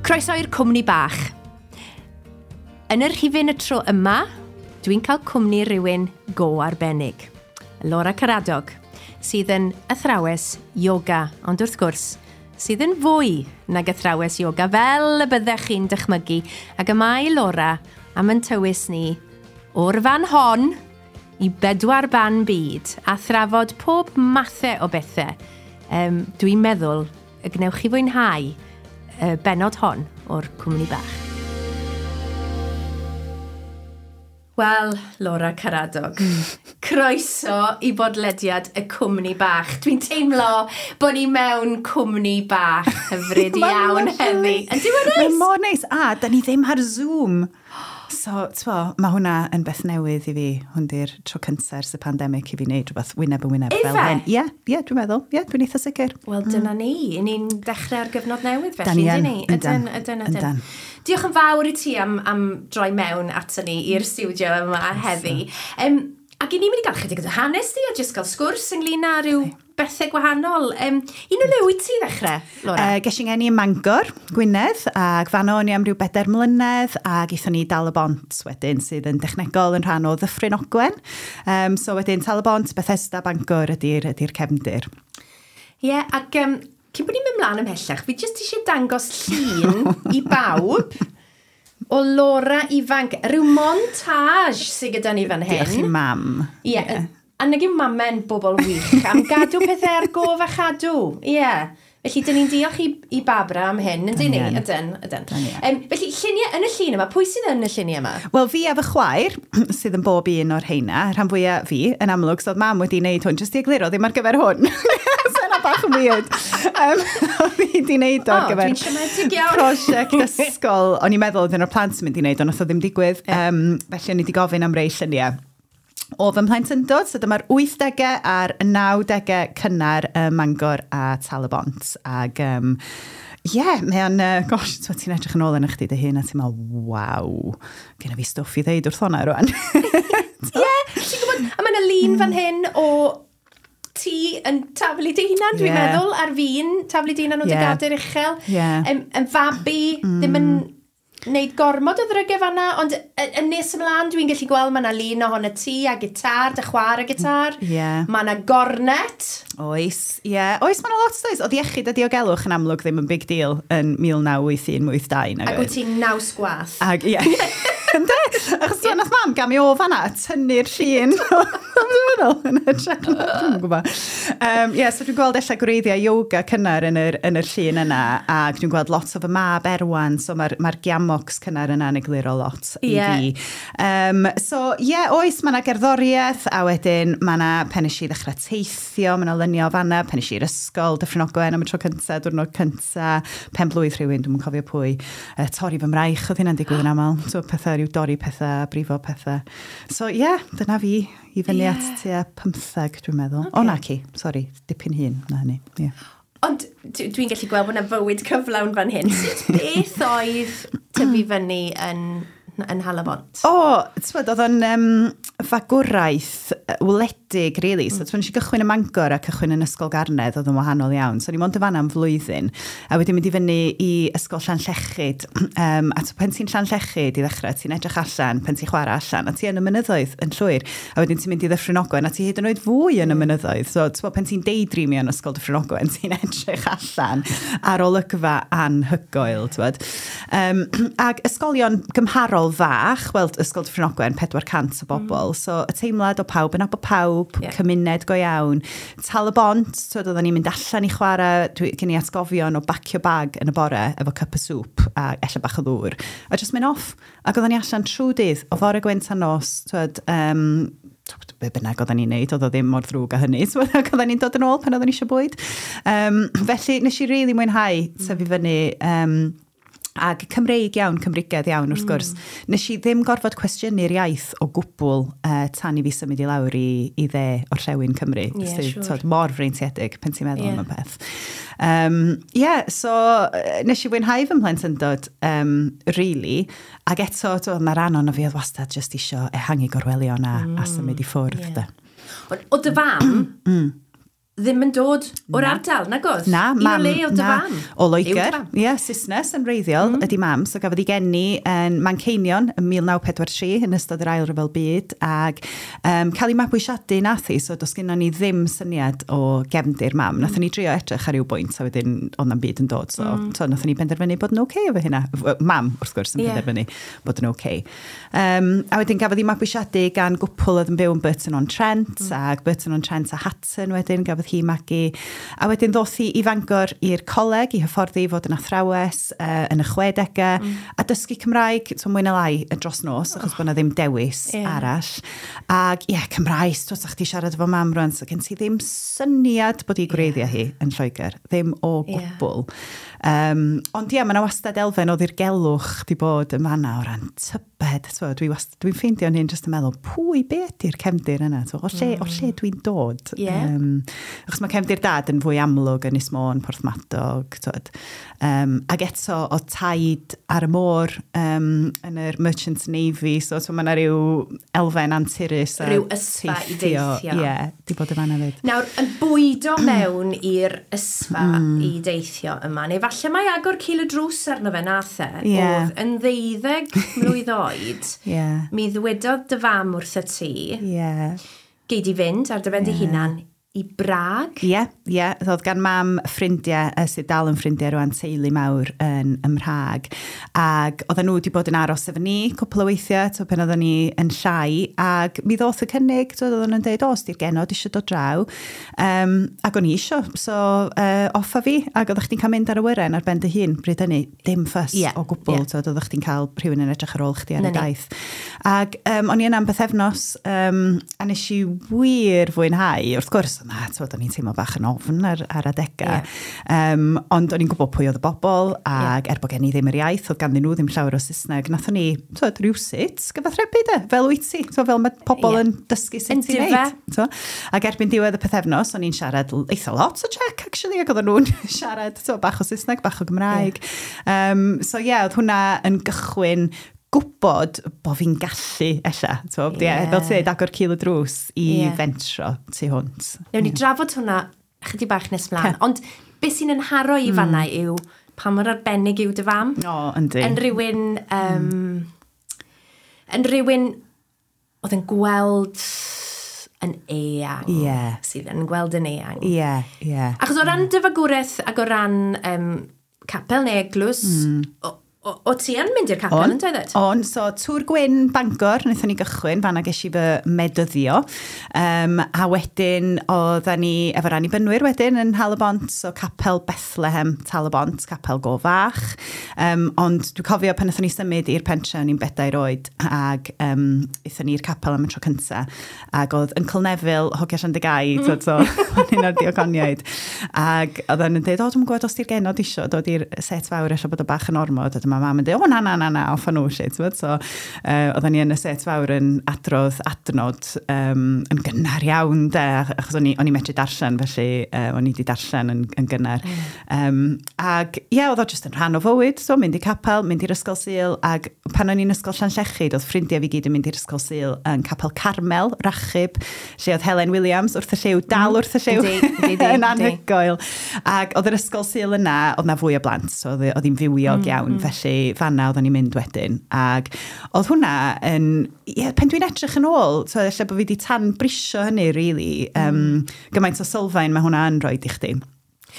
Croeso i'r cwmni bach. Yn yr rhifyn y tro yma, dwi'n cael cwmni rhywun go arbennig. Laura Caradog, sydd yn athrawes yoga, ond wrth gwrs, sydd yn fwy nag athrawes yoga, fel y byddech chi'n dychmygu, ac y mae Laura am yn tywys ni o'r fan hon i bedwar ban byd a thrafod pob mathau o bethau. Dwi'n meddwl y gwnewch chi fwynhau y bennod hon o'r cwmni bach. Wel, Laura Caradog, croeso i bodlediad y cwmni bach. Dwi'n teimlo bod ni mewn cwmni bach hyfryd iawn heddi. Yndi, mae'n neis? Mae'n mor neis. A, da ni ddim ar Zoom. So, t'mo, mae hwnna yn beth newydd i fi. Hwn di'r tro cyntaf ers y pandemig i fi wneud rhywbeth wyneb yn wyneb fel hyn. Ie, ie, dwi'n meddwl. Ie, dwi'n eitha sicr. Wel, dyna ni. I ni'n dechrau ar gyfnod newydd felly, yndyn ni? Ydyn, ydyn, ydyn. Diolch yn fawr i ti am droi mewn ato ni i'r stiwdio yma heddi. Ac i ni'n mynd i gael chydig o hanes di a jyst gael sgwrs ynglyn â rhyw bethau gwahanol. Un o le wyt ti ddechrau, Laura? Ges i'n ngeni ym Mangor, Gwynedd, ac fanno o'n i am ryw 4 mlynedd, ac aethon ni i Dal y Bont wedyn, sydd yn dechnegol yn rhan o Ddyffryn Ogwen. So wedyn Tal y Bont, Bethesda, Bangor ydy'r cefndir. Ie, yeah, ac cyn bod ni'n mynd mlaen ymhellach, fi jyst eisiau dangos llun i bawb o Laura ifanc, rhyw montage sydd gyda ni fan hyn. Diolch i mam. Ie, yeah. A nag yw mame'n bobl wych am gadw pethau ar gof a chadw. Ie. Yeah. Felly, dyn ni'n diolch i Barbara am hyn, yndyn ni? Ydyn, ydyn. Felly, lluniau yn y llun yma, pwy sydd yn y lluniau yma? Wel, fi a fy chwaer, sydd yn bob un o'r heina, rhan fwyaf fi, yn amlwg, so oedd mam wedi wneud hwn, jyst i egluro, ddim ar gyfer hwn. So yna bach yn weird. Oedd hi wedi wneud o ar gyfer dwi'n siomedig iawn. prosiect ysgol. O'n i'n meddwl oedd un o'r plant yn mynd i wneud, ond nath o ddim digwydd. Felly o'n i wedi gofyn am rei lluniau o fy mhlentyndod, so dyma'r 80au a'r 90au cynnar ym Mangor a Tal y Bont. Ac ie, mae o'n, gosh, ti'n edrych yn ôl yn chdi dy hun a ti'n meddwl, waw, genna fi stwff i ddeud wrth hwnna rwan. Ie, ti'n gwybod, a mae yna lun fan hyn o ti yn taflu dy hunan, dwi'n meddwl, ar fin, taflu dy hunan o dy gader uchel. Yn fabi, ddim yn wneud gormod o ddrygau fan'na, ond yn nes ymlaen dwi'n gallu gweld mae yna lun ohono ti a gitar, dy chwaer a gitar. Mae yna gornet. Oes, ie. Yeah. Oes, mae yna lot, oes. Oedd iechyd a diogelwch yn amlwg ddim yn big deal yn 1981-82. Ac wyt ti'n naws gwath. Ac, ie. Ynde? Achos yeah. Nath mam gamu o fan'na, tynnu'r llun. Dwi'n meddwl, yn hytrach na, dwi'm yn gwybod. Yeah, so dwi'n gweld ella gwreiddiau yoga cynnar yn yr llun yna, ac dwi'n gweld lot o fy mab Erwan, so mae'r giamocs cynnar yna yn egluro lot i fi. So, ie, yeah, oes, mae yna gerddoriaeth, a wedyn mae yna pen nes i ddechrau teithio, mae yna luniau o fan'na, pen nes i i'r ysgol, Dyffryn Ogwen am y tro cyntaf, diwrnod cyntaf, pen blwydd rhywun, dwi'm yn cofio pwy, torri fy mraich, oedd hynna'n digwydd yn aml, so pethau, rhyw dorri pethau, brifo pethau. So ie, yeah, dyna fi, i fyny at tua 15, dwi'n meddwl. Okay. O, na ci, sori, dipyn hyn na hynny. Yeah. Ond dwi'n gallu gweld bod yna fywyd cyflawn fan hyn. Sut beth oedd tyfu fyny yn Nhal-y-bont? O, t'mod, oedd o'n fagwraeth wledig, really. So, t'mod, nes i gychwyn ym Mangor a cychwyn yn Ysgol Garnedd, oedd yn wahanol iawn. So, o'n i mond yn fan'na am flwyddyn. A wedyn mynd i fyny i Ysgol Llanllechid. A pan ti'n Llanllechid i ddechrau, ti'n edrych allan, pan ti'n chwarae allan, a ti yn y mynyddoedd yn llwyr. A wedyn ti'n mynd i Ddyffryn Ogwen, a ti hyd yn oed fwy yn y mynyddoedd. So, t'mod, pan ti'n daydreamio yn Ysgol Dyffryn Ogwen, ti'n edrych allan ar olygfa anhygoel, t'mod. Ac ysgolion gymharol fach, wel, Ysgol Dyffryn Ogwen, 400 o bobl. So, y teimlad o pawb yn nabod pawb, cymuned go iawn. Tal y Bont, t'wod, oedden ni'n mynd allan i chwarae, gen i atgofion o bacio bag yn y bore efo cup o soup a ella bach o ddŵr. A just mynd off. Ac oedden ni allan trwy dydd, o fore gwynt a nos, t'wod, be bynnag oedden ni'n neud, oedd o ddim mor ddrwg â hynny. So, ac oedden ni'n dod yn ôl pan oedden ni eisiau bwyd. Felly, nes i rili mwynhau tyfu fyny, ac Cymreig iawn, Cymreigedd iawn wrth gwrs. Nes i ddim gorfod cwestiynu'r iaith o gwbl tan i fi symud i lawr i dde orllewin Cymru. Sydd, t'wod, mor freintiedig pan ti'n meddwl am y peth. So nes i fwynhau fy mhlentyndod, really. Ac eto, t'wod, mae rhan ohono fi oedd wastad jyst isio ehangu gorwelion a symud i ffwrdd. O dy fam, Ddim yn dod o'r ardal, nag oedd? Na, mam. mam. I o le oedd dy fam? O Loegr. Ie, yeah, Saesnes yn wreiddiol ydy mam. So gafodd ei geni yn Manceinion yn 1943 yn ystod yr Ail Ryfel Byd ac cael ei mabwysiadu nath hi, so does gynnon ni ddim syniad o gefndir mam. Nathon ni drio edrych ar ryw bwynt a wedyn oedd na'm byd yn dod, so, so nathon ni benderfynu bod yn oce okay efo hynna. Mam, wrth gwrs, yn penderfynu bod yn oce. Okay. A wedyn gafodd ei mabwysiadu gan gwpl oedd yn byw yn Burton-on-Trent, ac Burton-on-Trent a Hatton wedyn gafodd hi magu. A wedyn ddoth hi i Fangor i'r coleg i hyfforddi i fod yn athrawes yn y 60au a dysgu Cymraeg, so mwy na lai dros nos, achos bod 'na ddim dewis arall. Ac ie, yeah, Cymraes, twt, chdi siarad efo mam rwan, so gen ti ddim syniad bod i gwreiddiau hi yn Lloegr, ddim o gwbl. Ond ie, mae yna wastad elfen o ddirgelwch di bod yn fanna o ran tybed. So, dwi'n dwi ffeindio'n hyn jyst yn meddwl, pwy, be ydy'r cefndir yna? So, o lle dwi'n dod? Achos mae cefndir dad yn fwy amlwg yn Ynys Môn, Porthmadog. Twod. Ac eto, o taid ar y môr yn yr Merchant Navy, so mae yna rhyw elfen anturus. A rhyw ysfa i deithio. Ie, yeah, di bod yn fanna fyd. Nawr, yn bwydo mewn i'r ysfa i deithio yma, neu falle mae agor cil y drws arno fe nath e, oedd yn 12 mlwydd oed, mi ddwedodd dy fam wrtho ti, gei di fynd ar dy ben dy hunan i Brag. Ie, ie. Oedd gan mam ffrindiau, sydd dal yn ffrindiau rwan, teulu mawr yn ym Mhrag. Ac oedden nhw wedi bod yn aros efo ni cwpl o weithiau, to, pan oedden ni yn llai. Ac mi ddoth y cynnig, to, oedden nhw'n dweud, o, os di'r genod eisiau dod draw. Ac o'n i isio, so off a fi. Ac oeddech chdi'n cael mynd ar awyren ar ben dy hun, bryd hynny, dim ffys o gwbl. Yeah. To, oeddech chdi'n cael rhywun yn edrych ar ôl chdi ar y daith. Ac o'n i yna am bythefnos, a nes i wir fwynhau, wrth gwrs, na, twod, o'n i'n teimlo bach yn ofn ar adegau. Ond o'n i'n gwybod pwy oedd y bobl, ac er bod gen i ddim yr iaith, oedd ganddyn nhw ddim llawer o Saesneg, nathon ni, twod, rhywsut gyfathrebu de, fel wyt ti, twod, fel mae pobl yn dysgu sut i wneud. Twod. Ac erbyn diwedd y pythefnos, o'n i'n siarad eitha lot o Czech, actually, ac oedden nhw'n siarad twod, bach o Saesneg, bach o Gymraeg. So ie, yeah, oedd hwnna yn gychwyn gwybod bod fi'n gallu, ella. Fel ti'n dweud, agor cil y drws i fentro tu hwnt. Newn ni drafod hwnna chydig bach nes mlaen. Ond beth sy'n yn haro i fanna yw pa mor arbennig yw dy fam. O, yndi. Yn rhywun, yn rhywun oedd yn gweld yn eang. Sydd yn gweld yn eang. Achos o ran dy fagwraeth ac o ran capel neu eglwys, o ti yn mynd i'r capel yn dweud? On, so Tŵr Gwyn Bangor, wnaethon ni gychwyn, fanna ges i fy medyddio. A wedyn oedden ni efo'r Annibynwyr wedyn yn Tal-y-bont, so capel Bethlehem Tal-y-bont, capel go fach. Ond dwi'n cofio pan wnaethon ni symud i'r pentre, o'n i'n 4 oed, ac aethon ni i'r capel am y tro cynta. Ac oedd Uncle Neville, hogia Llandygai, so, o'n un o'r diaconiaid. Ac oedden yn dweud, o, dwi'n gwybod os di'r genod isio dod i'r set fawr, ella bod o bach yn ormod, a dyma mam yn dweud, o, na, na, na, na, off â nhw, shit. So, oedden ni yn y set fawr yn adrodd adnod yn gynnar iawn, de, achos o'n i'n medru darllen, felly o'n i wedi darllen yn gynnar. Ac, ie, oedd o jyst yn rhan o fywyd, so mynd i capel, mynd i'r ysgol Sul, ac pan o'n i'n ysgol Llanllechid, oedd ffrindiau fi gyd yn mynd i'r ysgol Sul yn Capel Carmel, Rachub, lle oedd Helen Williams wrth y lliw, dal wrth y lliw, yn anhygoel. Ac oedd yr ysgol Sul yna, oedd na fwy o blant, so oedd hi'n fywiog iawn, felly fanna oedden ni'n mynd wedyn. Ac oedd hwnna yn, ie, pan dwi'n edrych yn ôl, so ella bod fi wedi tan brisio hynny, really, gymaint o sylfaen mae hwnna yn rhoi i chdi.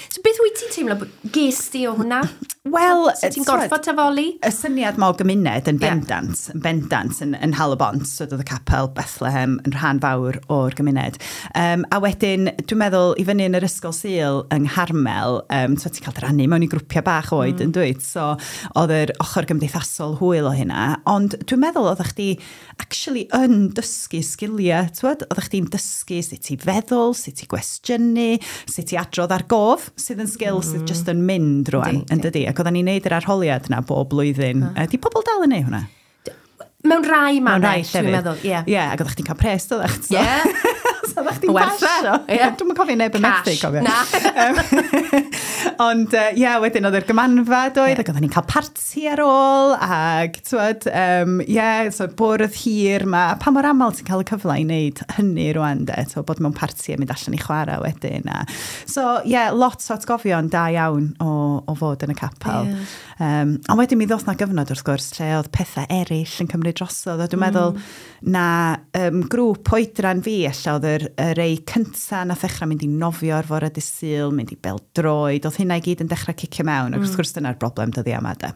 So beth wyt ti'n teimlo ges di o hwnna? Wel, so ti'n gorfod tafoli? Y syniad ma o gymuned yn bendant, yn bendant yn Tal-y-bont, so oedd y capel Bethlehem yn rhan fawr o'r gymuned. A wedyn, dwi'n meddwl, i fyny yn yr ysgol Sul yng Ngharmel, so ti'n cael dy rannu mewn i grwpiau bach oed yn dwyt, so oedd yr ochr gymdeithasol hwyl o hynna, ond dwi'n meddwl oeddech chdi actually yn dysgu sgiliau, t'wod? Oeddech chdi'n dysgu sut i feddwl, sut i gwestiynu, sut i adrodd ar gof, sydd yn sgil sydd just yn mynd rwan, yn dydi? Ac oedden ni'n neud yr arholiad na bob blwyddyn. Di pobl dal yn neud hwnna? Mewn rai mannau, dwi'n meddwl. Ie, ac oeddech chdi'n cael pres, doeddech? Ie. So oeddech chdi'n pasio. Yeah. Dwi'm yn cofio neb yn methu, cofio. Na. Ond, ie, yeah, wedyn oedd yr gymanfa doedd, ac oedden ni'n cael parti ar ôl, ac, twyd, yeah, so bwrdd hir ma. Pa mor aml ti'n cael y cyfle i wneud hynny rwan, de, so, bod mewn parti a mynd allan i chwarae wedyn. A... So, ie, yeah, lot o atgofion da iawn o fod yn y capel. Yeah. Ond wedyn mi ddoth na gyfnod, wrth gwrs, lle oedd pethau eraill yn cymryd drosodd. A dwi'n meddwl na grŵp oedran fi, ella oedd y rei cynta nath ddechrau mynd i nofio ar fore dydd Sul, mynd i bêl-droed, oedd hynna i gyd yn dechrau cicio mewn, ac wrth gwrs dyna'r broblem dyddiau yma, de.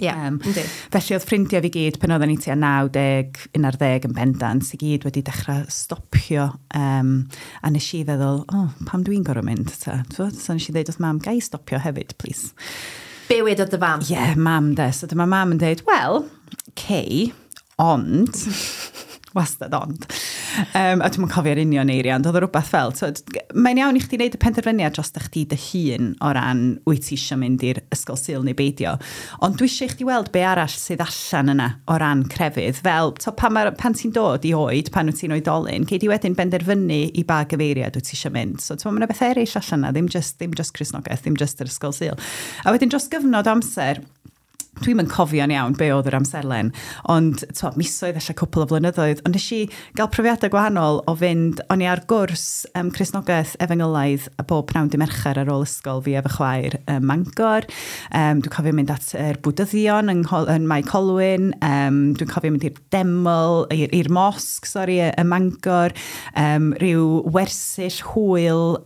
Ie, yndi. Felly oedd ffrindiau fi gyd, pan oedden ni tua 90, 11 yn bendant, i gyd wedi dechrau stopio. A nes i feddwl, oh, pam dwi'n gorfod mynd? Ta? So nes i ddeud wrth mam, ga i stopio hefyd, please. Be wedodd dy fam? Ie, yeah, mam de. So dyma mam yn deud, wel, cei, ond, wastad ond. A dwi'm yn cofio'r union eiriau, ond oedd o rhywbeth fel, so, mae'n iawn i chdi wneud y penderfyniad dros chdi dy hun o ran wyt ti eisiau mynd i'r ysgol Sul neu beidio. Ond dwi eisiau i chdi weld be arall sydd allan yna o ran crefydd. Fel, to, pan ti'n dod i oed, pan wyt ti'n oedolyn, gei di wedyn benderfynu i ba gyfeiriad wyt ti eisiau mynd. So, mae yna beth eraill allan yna, ddim just Cristnogaeth, ddim just yr ysgol Sul. A wedyn dros gyfnod amser, dwi'm yn cofio'n iawn be oedd yr amserlen, ond to, misoedd, ella cwpl o flynyddoedd, ond nes i gael profiadau gwahanol o fynd, o'n i ar gwrs Cristnogaeth Efengylaidd a bob pnawn dy Mercher ar ôl ysgol fi efo chwaer ym Mangor. Dwi'n cofio mynd at yr Bwdyddion yn Mae Colwyn, dwi'n cofio mynd i'r deml, i'r mosg, sori, ym Mangor, rhyw wersyll hwyl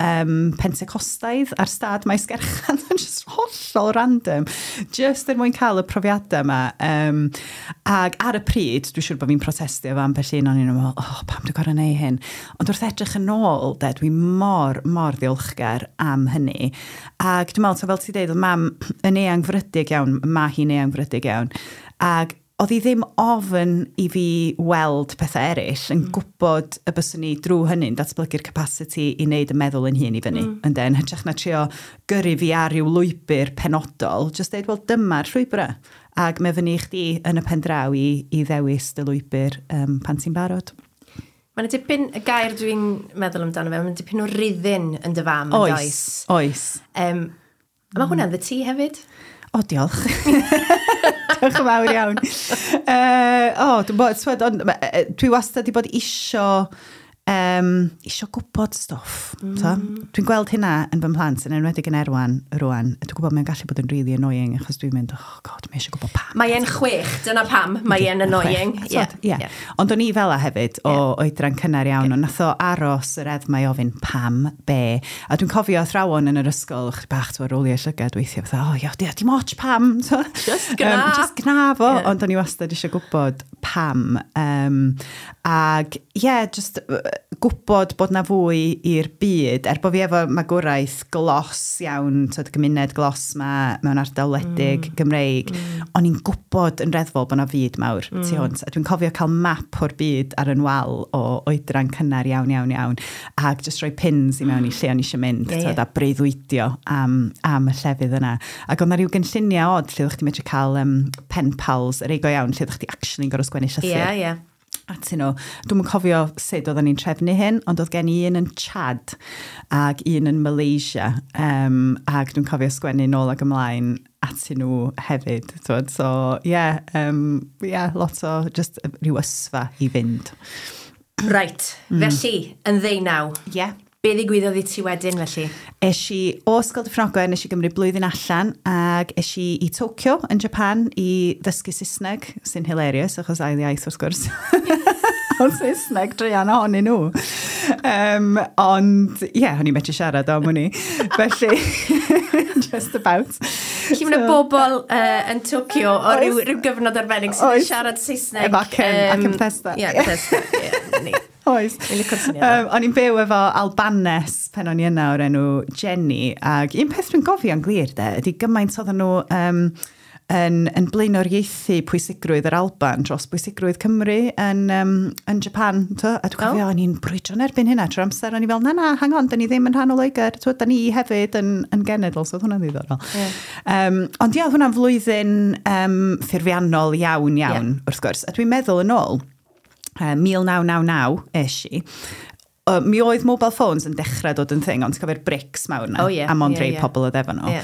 Pentecostaidd ar stad Maesgeirchan, just hollol random, just er mwyn cael y profiadau yma. Ac ar y pryd, dwi'n siŵr bod fi'n protestio efo ambell un, o'n i'n meddwl, oh, pam dwi'n gorfod neud hyn? Ond wrth edrych yn ôl, de, dwi mor, mor ddiolchgar am hynny. Ac dwi'n meddwl, so fel ti'n deud, oedd mam yn eangfrydig iawn, mae hi'n eangfrydig iawn. Ac oedd hi ddim ofn i fi weld pethau eraill, yn gwybod y byswn ni drwy hynny'n datblygu'r capacity i wneud y meddwl yn hun i fyny. Ynde, yn hytrach na trio gyrru fi ar ryw lwybr penodol, just deud, wel, dyma'r llwybrau. Ac mae fyny i chdi yn y pen draw i ddewis dy lwybr pan ti'n barod. Mae'n dipyn, y gair dwi'n meddwl amdano fe, mae'n dipyn o ruddin yn dy fam, yn does? Oes. A mae hwnna'n dy ti hefyd? O, diolch. Diolch yn fawr iawn. O, dwi'n dwi wastad wedi bod isio gwybod stwff. Dwi'n gweld hynna yn fy mhlant, yn enwedig yn Erwan rwan. Dwi'n gwybod mae'n gallu bod yn really annoying, achos dwi'n mynd, oh god, mae eisiau gwybod pam. Mae e'n 6, dyna pam, mae e'n annoying. Yeah. Yeah. Ond o'n i fel a hefyd, o oedran cynnar iawn, ond nath o aros yr edd mae ofyn pam, be. A dwi'n cofio athrawon yn yr ysgol, chydig bach ti'n rolio llygad weithiau, fatha, oh, ia, dim ots pam. Just gna. Just gna fo, ond o'n i wastad eisiau gwybod pam. Ag, ie, just gwybod bod na fwy i'r byd, er bod fi efo magwraeth glos iawn, tyd, gymuned glos ma mewn ardal wledig Gymreig, o'n i'n gwybod yn reddfol bod na fyd mawr tu hwnt. A dwi'n cofio cael map o'r byd ar yn wal o oedran cynnar iawn, iawn, iawn, ac just rhoi pins i mewn i lle o'n i eisiau mynd, yeah, a breuddwydio am y llefydd yna. Ac oedd na rhyw gynlluniau od lle oeddech chdi'n medru cael pen pals, yr ei go iawn, lle oeddech chdi actually'n gorfod sgwennu llythyr. Ie, ie. Atyn nhw. Dwi'm yn cofio sut oedden ni'n trefnu hyn, ond oedd gen i un yn Chad ac un yn Malaysia. Ac dwi'n cofio sgwennu nôl ac ymlaen atyn nhw hefyd. Twod. So, yeah, yeah, lot o just rhyw ysfa i fynd. Right, felly, yn 19. Yeah. Be ddigwyddodd i ti wedyn, felly? Es i o Ysgol Dyffryn Ogwen, nes i gymryd blwyddyn allan, ac es i i Tokyo yn Japan i ddysgu Saesneg, sy'n hilarious, achos ail iaith wrth gwrs. Ond Saesneg druan ohonyn nhw. Ond, ie, yeah, o'n i'n medru siarad am hwnni. Felly, just about. Felly mae yna bobl yn Tokyo o ryw gyfnod arbennig sydd yn siarad Saesneg. Efo acen Bethesda. Ie, Bethesda, ie. Oes. O'n i'n byw efo Albanes pen o'n i yna o'r enw Jenny, ac un peth dwi'n gofio'n glir de, ydy gymaint oedden nhw yn blaenoriaethu pwysigrwydd yr Alban dros bwysigrwydd Cymru yn Japan. To? A dwi'n cofio, o'n i'n brwydro'n erbyn hynna trwy'r amser, o'n i fel, na, hang on, da ni ddim yn rhan o Loegr, to, da ni hefyd yn genedl, so oedd hwnna'n ddiddorol. Yeah. Ond ie, oedd hwnna'n flwyddyn ffurfiannol iawn, iawn, wrth gwrs. A dwi'n meddwl yn ôl, 1999 es i, Mi oedd mobile phones yn dechrau dod yn thing, ond ti'n cofio'r bricks mawr 'na? Oh, ie. A mond rhai pobl oedd efo nhw.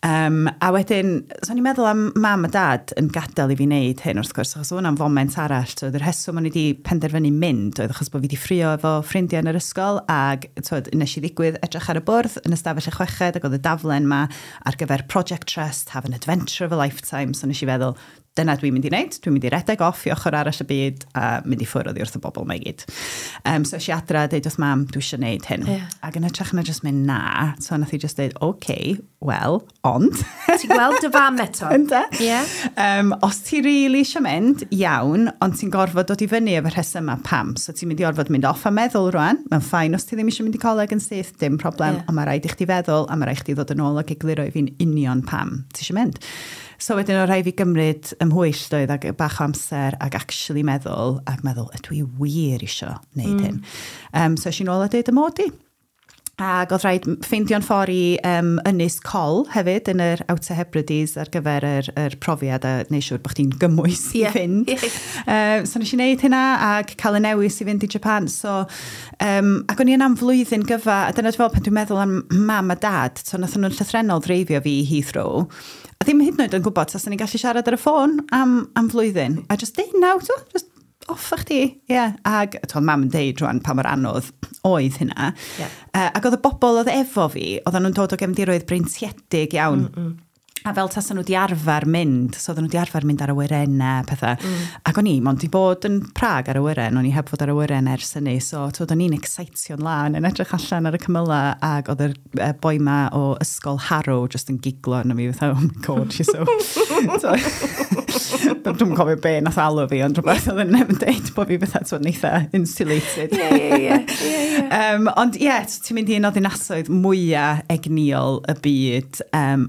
A wedyn, so o'n i'n meddwl am Mam a Dad yn gadael i fi wneud hyn, wrth gwrs, achos oedd hwnna'n foment arall. So, yr rheswm o'n i wedi penderfynu mynd oedd achos bod fi wedi ffrio efo ffrindiau yn yr ysgol, ac twyd, nes i ddigwydd edrych ar y bwrdd yn ystafell y chweched, ac oedd y daflen ma ar gyfer Project Trust, Have an Adventure of a Lifetime. So nes i feddwl, dyna dwi'n mynd i wneud, dwi'n mynd i redeg off i ochr arall y byd a mynd i ffwrdd oddi wrth y bobl 'ma i gyd. So es i adra a deud wrth Mam, "Dwi eisiau gwneud hyn." Ac yn hytrach na just mynd na, so nath i just deud, "OK, well, ond." Ti'n gweld dy fam eto? Ynde? Ie. Os ti really eisiau mynd, iawn, ond ti'n gorfod dod i fyny efo rhesymau pam. So ti'n mynd i orfod mynd off a meddwl rwan. Mae'n fine os ti ddim eisiau mynd i coleg yn syth, dim problem, ond mae rhaid i chdi feddwl, a mae rhaid i chdi ddod yn ôl ac egluro i fi'n union pam ti eisiau mynd. So wedyn o rhaid fi gymryd ymhwyll doedd ac bach o amser ac actually meddwl, ac meddwl, ydw i wir isio wneud hyn? So es i nôl a deud y mod i. Ac oedd rhaid ffeindio'n ffordd i Ynys Coll hefyd yn yr Outer Hebrides ar gyfer yr profiad a neud siŵr bod chdi'n gymwys i fynd. So nes i wneud hynna ac cael y newis i fynd i Japan. So, ac o'n i yna am flwyddyn gyfa, a dyna dwi'n fel pan dwi'n meddwl am Mam a Dad, so nath nhw'n llythrenol dreifio fi i Heathrow. A ddim hyd yn oed yn gwybod taswn ni'n gallu siarad ar y ffôn am flwyddyn. A just deud naw, to, just off â chdi. Ie. Yeah. Ac to, Mam yn deud rwan pa mor anodd oedd hynna. Ac oedd y bobl oedd efo fi, oedden nhw'n dod o gefndiroedd breintiedig iawn. A fel tasen nhw di arfer mynd, so oedden nhw di arfer mynd ar awyrennau, pethau. Ac o'n i, mond di bod yn Prag ar awyren, o'n i heb fod ar awyren ers hynny, so twyd, o'n i'n excitio'n lan, yn edrych allan ar y cymylau, ac oedd yr boi ma o ysgol Harrow just yn giglo arno fi, fatha, "Oh my God, she's so." So, dwi'n cofio be nath alw fi, ond rhywbeth oedd yn yn deud bod fi fatha, twyd, yn eitha insulated. Ie, ie, ie. Ie, ie. Ond ie, yeah, ti'n mynd i un o ddinasoedd mwyaf egnïol y byd,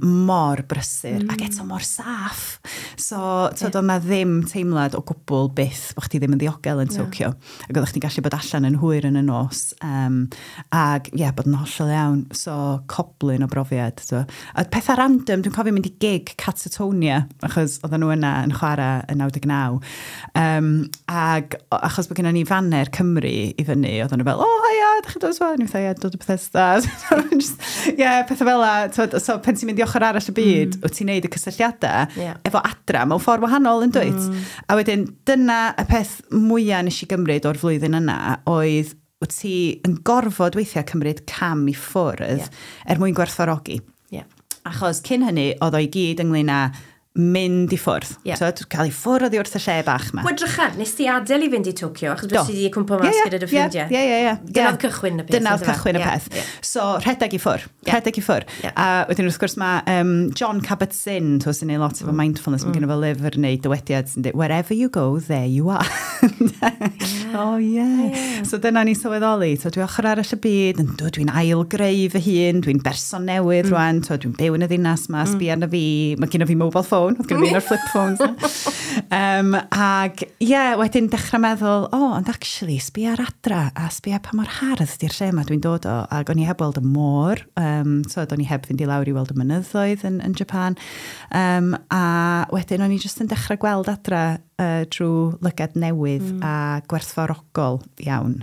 mor brysur, ac eto mor saff. So, twyd, oedd 'na ddim teimlad o gwbl byth bod chdi ddim yn ddiogel yn Tokyo. Ac oeddech chdi'n gallu bod allan yn hwyr yn y nos. Ac ie, yeah, bod yn hollol iawn. So, coblyn o brofiad. So. A pethau random, dwi'n cofio mynd i gig Catatonia, achos oedden nhw yna yn chwarae yn 99. Ac achos bod gennym ni faner Cymru i fyny, oedden nhw fel, "Oh, hiya, ydych chi'n dod swan?" Ni fatha, "Ie, dod o Bethesda." So, just, ie, pethau fel la. So, pan ti'n mynd i ochr arall y byd, wyt ti'n neud y cysylltiadau efo adra mewn ffordd wahanol yn dwyt? A wedyn, dyna y peth mwyaf nes i gymryd o'r flwyddyn yna oedd wyt ti yn gorfod weithiau cymryd cam i ffwrdd er mwyn gwerthfawrogi. Achos cyn hynny, oedd o i gyd ynglyn â mynd i ffwrdd. So, cael i ffwrdd oddi wrth y lle bach yma. Wel, drycha, nes ti adael i fynd i Tokyo, achos bod ti wedi cwmpo mas gyda dy ffrindiau. Ie, ie, ie. Dyna oedd cychwyn y peth. Dyna oedd cychwyn y peth. So, rhedeg i ffwrdd. Rhedeg i ffwrdd. A wedyn wrth gwrs mae Jon Kabat-Zinn, to, sy'n neud lot efo mindfulness, mae gen fo lyfr neu dywediad sy'n dweud, "Wherever you go, there you are." Oh, yeah. So dyna ni sylweddoli. So, dwi ochr arall y byd, yn dod, dwi'n ail-greu fy hun, dwi'n berson newydd rwan, so, dwi'n byw yn y ddinas ma, sbia arna fi, mae gen fi mobile phone, oedd gen fi un o'r flip phones na. Ag, ie, yeah, wedyn dechrau meddwl, oh, ond actually, sbia ar adra, a sbia pa mor hardd di'r lle yma dwi'n dod o, ac o'n i heb weld y môr, so o'n i heb fynd i lawr i weld y mynyddoedd yn Japan, a wedyn o'n i jyst yn dechrau gweld adra drwy lygad newydd a gwerthfawrogol iawn.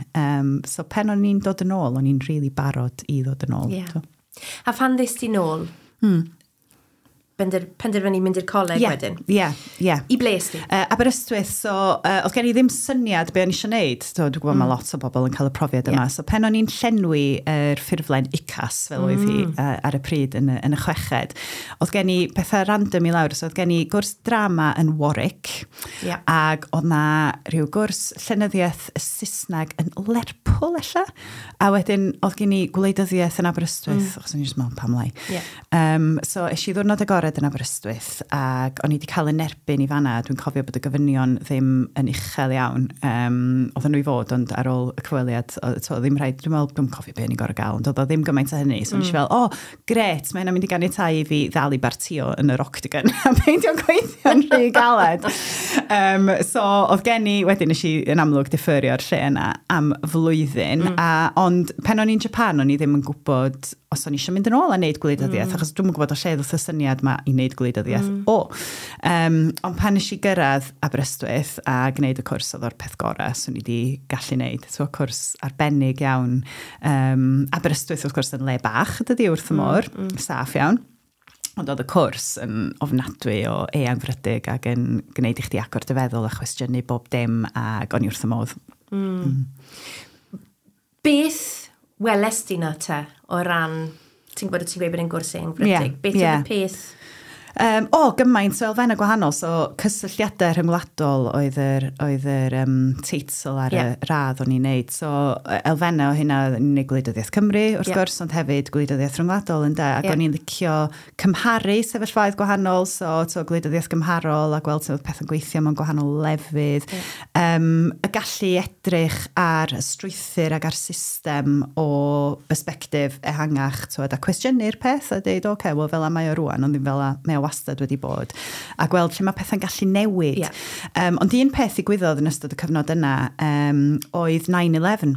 So pen o'n i'n dod yn ôl, o'n i'n really barod i ddod yn ôl. So. A phan ddest ti nôl, penderfynu mynd i'r coleg wedyn? Ie. I ble es di? Aberystwyth, so oedd gen i ddim syniad be o'n i eisiau gwneud. So, dwi'n gwybod mae lot o bobl yn cael y profiad yma. So pen o'n i'n llenwi yr ffurflen UCAS, fel oedd hi ar y pryd yn y chweched, oedd gen i pethau random i lawr. So oedd gen i gwrs drama yn Warwick, ac oedd na rhyw gwrs llenyddiaeth Saesneg yn Lerpwl, ella. A wedyn oedd gen i gwleidyddiaeth yn Aberystwyth, achos o'n i jyst mewn pam lai. So es i ddwrnod agored yn Aberystwyth ac o'n i wedi cael yn erbyn i fanna. Dwi'n cofio bod y gofynion ddim yn uchel iawn. Oedden nhw i fod, ond ar ôl y cyfweliad, to, ddim rhaid, dwi'n meddwl, dwi'n cofio be o'n i'n gorfod gael, ond oedd o ddim gymaint o hynny. So mm. Nes i fel, "Oh, gret, mae hynna'n mynd i ganiatáu i fi ddal i bartio yn yr Octagon a peidio gweithio'n rhy galed." So oedd gen i, wedyn nes i yn amlwg deferio'r lle yna am flwyddyn, ond pen o'n i'n Japan, o'n i ddim yn gwybod os o'n i eisiau mynd yn ôl a wneud gwleidyddiaeth, achos dwi'n gwybod o lle ddoth y syniad ma. yma i wneud gwleidyddiaeth o. Ond pan nes i gyrraedd Aberystwyth a gwneud y cwrs, oedd o'r peth gorau swn i wedi gallu wneud. So, cwrs arbennig iawn. Aberystwyth, wrth gwrs, yn le bach, dydy, wrth y môr, saff iawn. Ond oedd y cwrs yn ofnadwy o eangfrydig ac yn gwneud i chdi agor dy feddwl a chwestiynu bob dim, ac o'n i wrth y modd. Beth weles di na te o ran, ti'n gwybod, ti'n gweud bod e'n gwrs eangfrydig? Beth oedd y peth? O, gymaint o elfennau gwahanol. So, cysylltiadau rhyngwladol oedd yr teitl ar y radd o'n i'n neud. So, elfennau o hynna, o'n i'n neud gwleidyddiaeth Cymru, wrth gwrs, ond hefyd gwleidyddiaeth rhyngwladol, ynde. Ac o'n i'n licio cymharu sefyllfaoedd gwahanol, so gwleidyddiaeth gymharol a gweld sut oedd pethau'n gweithio mewn gwahanol lefydd. Y gallu edrych ar y strwythur ac ar system o bersbectif ehangach, twyd, a cwestiynu'r peth a dweud, "Oce, okay, wel fel mae o rwan, ond ddim fel mae o wastad wedi bod." A gweld lle mae pethau'n gallu newid. Ond un peth ddigwyddodd yn ystod y cyfnod yna oedd 9-11.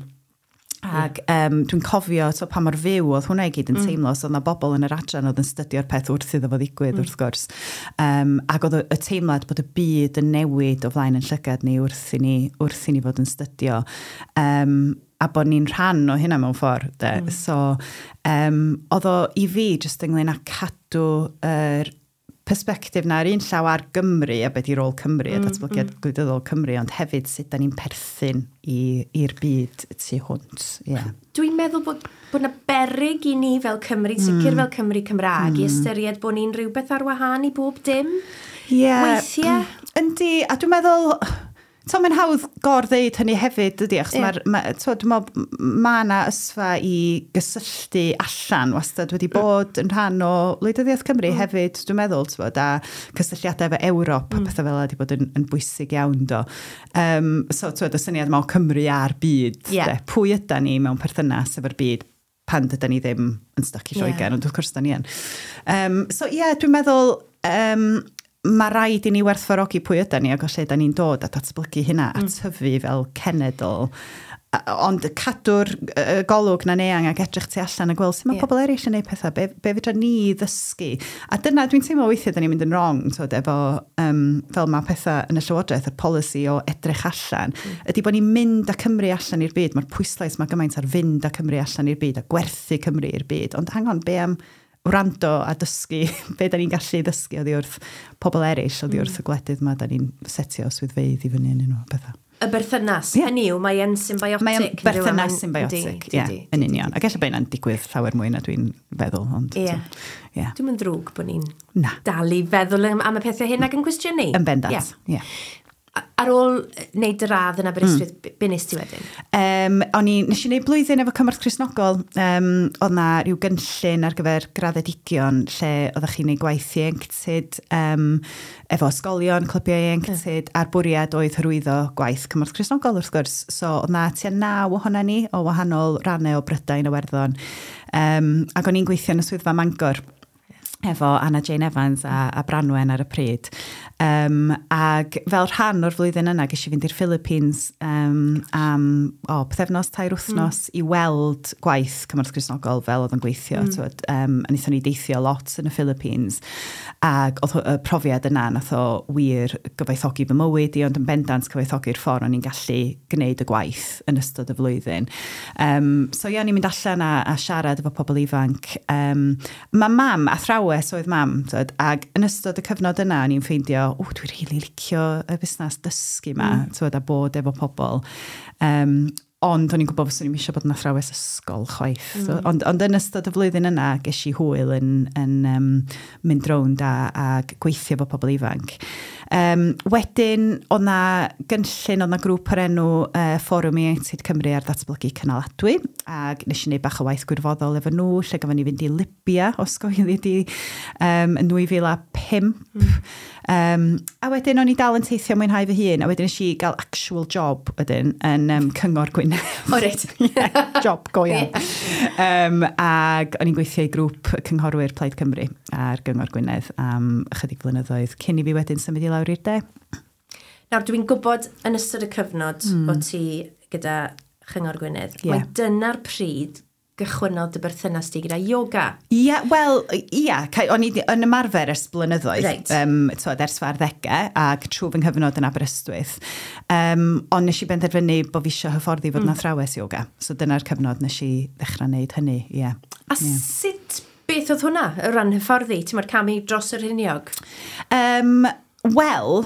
Ac dwi'n cofio to, pa mor fyw oedd hwnna i gyd yn teimlo, so oedd 'na bobl yn yr adran oedd yn stydio'r peth wrth iddo fo ddigwydd, wrth gwrs. Ac oedd y teimlad bod y byd yn newid o flaen yn llygad ni wrth i ni fod yn stydio. A bod ni'n rhan o hynna mewn ffordd, de. So, oedd o i fi jyst ynglyn â cadw yr perspectif na ar un llaw ar Gymru a beth i rôl Cymru a datblygiad gwleidyddol Cymru, ond hefyd sut da ni'n perthyn i'r byd tu hwnt. Yeah. Dwi'n meddwl bod 'na beryg i ni fel Cymru, sicr fel Cymru Cymraeg, i ystyried bod ni'n rhywbeth ar wahân i bob dim. Weithiau. Yndi, a dwi'n meddwl, to, mae'n hawdd gor-ddeud hynny hefyd, dydy, achos ma, to, dwi'n meddwl, ma 'na ysfa i gysylltu allan wastad wedi bod yn rhan o wleidyddiaeth Cymru hefyd, dwi'n meddwl, t'bod, a cysylltiadau efo Ewrop a pethau fel 'na wedi bod yn bwysig iawn, do. So, t'bod, y syniad yma o Cymru a'r byd, de, pwy yda ni mewn perthynas efo'r byd pan dyda ni ddim yn stuck i Lloegr, ond wrth gwrs da ni yn. So ie, yeah, dwi'n meddwl, mae rhaid i ni werthfawrogi pwy yda ni ac o lle da ni'n dod a datblygu hynna a tyfu fel cenedl. Ond cadw'r golwg na'n eang ac edrych tu allan a gweld sut mae pobl eraill yn gwneud pethau, be fedra ni ddysgu. A dyna dwi'n teimlo weithiau da ni'n mynd yn wrong, twyd, efo, fel mae pethau yn y llywodraeth, y polisi o edrych allan, ydy bod ni'n mynd â Cymru allan i'r byd. Mae'r pwyslais mae gymaint ar fynd â Cymru allan i'r byd a gwerthu Cymru i'r byd. Ond hang on, be am wrando a dysgu, be da ni'n gallu ddysgu oddi wrth pobl eraill, oddi wrth y gwledydd ma da ni'n setio swyddfeydd i fyny yn nhw, pethau. Y berthynas, hynny yw, mae e'n symbiotic. Mae o'n berthynas symbiotic, ie, yn union. Ac ella bod hynna'n digwydd llawer mwy na dwi'n feddwl, ond ie. Dwi'n mynd ddrwg bod ni'n Na. dal i feddwl am y pethau hyn ac yn cwestiynu. Yn bendant, ie. Ar ôl wneud dy radd yn Aberystwyth, be nes ti wedyn? Nes i wneud blwyddyn efo Cymorth Cristnogol. Oedd na rhyw gynllun ar gyfer graddedigion lle oeddech chi'n gwneud gwaith ieuenctid efo ysgolion, clybiau ieuenctid, a'r bwriad oedd hyrwyddo gwaith Cymorth Cristnogol wrth gwrs. So oedd na tua 9 ohona ni o wahanol rannau o Brydain, o Werddon. Ac o'n i'n gweithio yn y swyddfa Mangor efo Anna Jane Evans a Branwen ar y pryd. Ag fel rhan o'r flwyddyn yna, ges i fynd i'r Philippines am o, pythefnos, 3 wythnos i weld gwaith Cymorth Cristnogol fel oedd yn gweithio. Mm. A wnaethon ni deithio lot yn y Philippines. Ac oedd y profiad yna, nath o wir gyfoethogi fy mywyd i, ond yn bendant cyfoethogi'r ffordd o'n i'n gallu gwneud y gwaith yn ystod y flwyddyn. So ie, o'n i'n mynd allan a siarad efo pobl ifanc. Mae mam, athrawes oedd mam, tyd, ac yn ystod y cyfnod yna, o'n i'n ffeindio, o, dwi'n rili licio y busnes dysgu yma, tyd, a bod efo pobl. Ond o'n i'n gwybod fyswn i'n eisiau bod yn athrawes ysgol chwaith. So, ond yn ystod y flwyddyn yna, ges i hwyl yn mynd rownd a gweithio efo pobl ifanc. Wedyn, oedd na gynllun, oedd na grŵp o'r enw Fforwm Ieuenctid Cymru ar ddatblygu cynaladwy, ac nes i wneud bach o waith gwirfoddol efo nhw, lle gafon ni fynd i Libya, os goeli di, yn 2005. A wedyn o'n i dal yn teithio mwynhau fy hun, a wedyn nes i gael actual job wedyn yn Cyngor Gwynedd. O, reit. Yeah, job go iawn. Ac o'n i'n gweithio i grŵp cynghorwyr Plaid Cymru ar Gyngor Gwynedd am ychydig flynyddoedd cyn i fi wedyn symud i lawr i'r de. Nawr, dwi'n gwybod yn ystod y cyfnod o ti gyda Chyngor Gwynedd, mae dyna'r pryd gychwynnodd dy berthynas di gyda yoga. Ie, yeah, wel, ie, yeah, o'n i yn ymarfer ers blynyddoedd, Reit. Twod, ers fy arddegau, ac trwy fy nghyfnod yn Aberystwyth. Ond nes i benderfynu bod fi eisiau hyfforddi fod yn athrawes yoga. So dyna'r cyfnod nes i ddechrau wneud hynny, ie. Yeah. A sut, beth oedd hwnna, o ran hyfforddi? Ti'n modd camu dros yr rhiniog? Wel,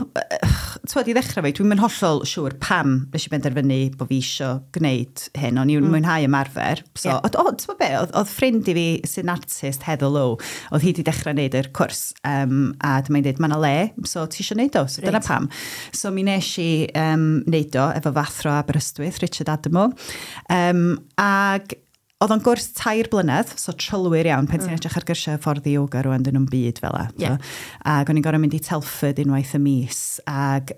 twod, i ddechrau fi, dwi'n mynd hollol siŵr pam nes i benderfynu bod fi eisiau gwneud hyn, o'n i'n mwynhau ymarfer. So, Ie. yeah. O, ti'n be, oedd ffrind i fi sy'n artist, Heather Lowe, oedd hi wedi dechrau gwneud yr cwrs, a dyma'n dweud, mae yna le, so ti eisiau gwneud o, so dyna pam. So mi nes i wneud o efo fy athro Aberystwyth, Richard Adamo, ag oedd o'n gwrs 3 blynedd, so trylwyr iawn, pan ti'n edrych ar gyrsiau hyfforddi yoga rwan, dyn nhw'n byd fel 'a. Ie. Ac o'n i'n gorfod mynd i Telford unwaith y mis. Ac,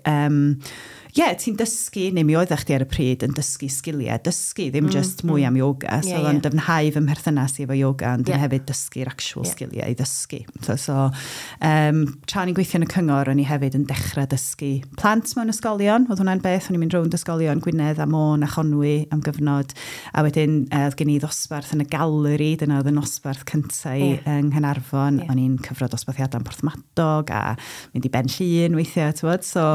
ie, ti'n dysgu, neu mi oeddech chdi ar y pryd yn dysgu sgiliau, dysgu, ddim just mwy am yoga. So oedd o'n dyfnhau fy mherthynas i efo yoga, ond yn hefyd dysgu'r actual sgiliau i ddysgu. So, tra o'n i'n gweithio yn y cyngor, o'n i hefyd yn dechrau dysgu plant mewn ysgolion. Oedd hwnna'n beth, o'n i'n mynd rownd ysgolion Gwynedd a Môn a Chonwy am gyfnod. A wedyn oedd gen i ddosbarth yn y galeri, dyna oedd y nosbarth cyntaf i yng Nghaernarfon. O'n i'n cyfro dosbarthiadau yn Porthmadog a mynd i Ben Llŷn weithiau, ti'n bod? So,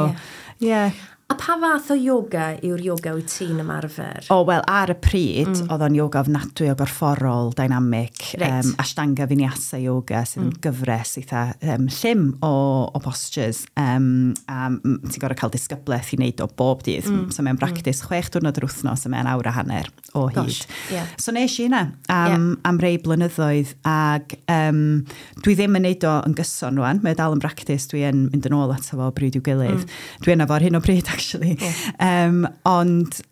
ie. Yeah. A pa fath o yoga yw'r yoga wyt ti'n ymarfer? O, wel, ar y pryd, oedd o'n yoga ofnadwy o gorfforol, dynamic, Ashtanga Vinyasa yoga, sydd yn gyfres eitha llym o postures. A ti'n gorfod cael disgyblaeth i wneud o bob dydd. So mae'n practice 6 diwrnod yr wythnos, a mae'n awr a hanner o hyd. Gosh, ie. So nes i hynna am rei blynyddoedd, ac dwi ddim yn neud o yn gyson rwan. Mae o dal yn practice, dwi yn mynd yn ôl ato fo o bryd i'w gilydd. Dwi yna fo ar hyn o bryd, actually. Ond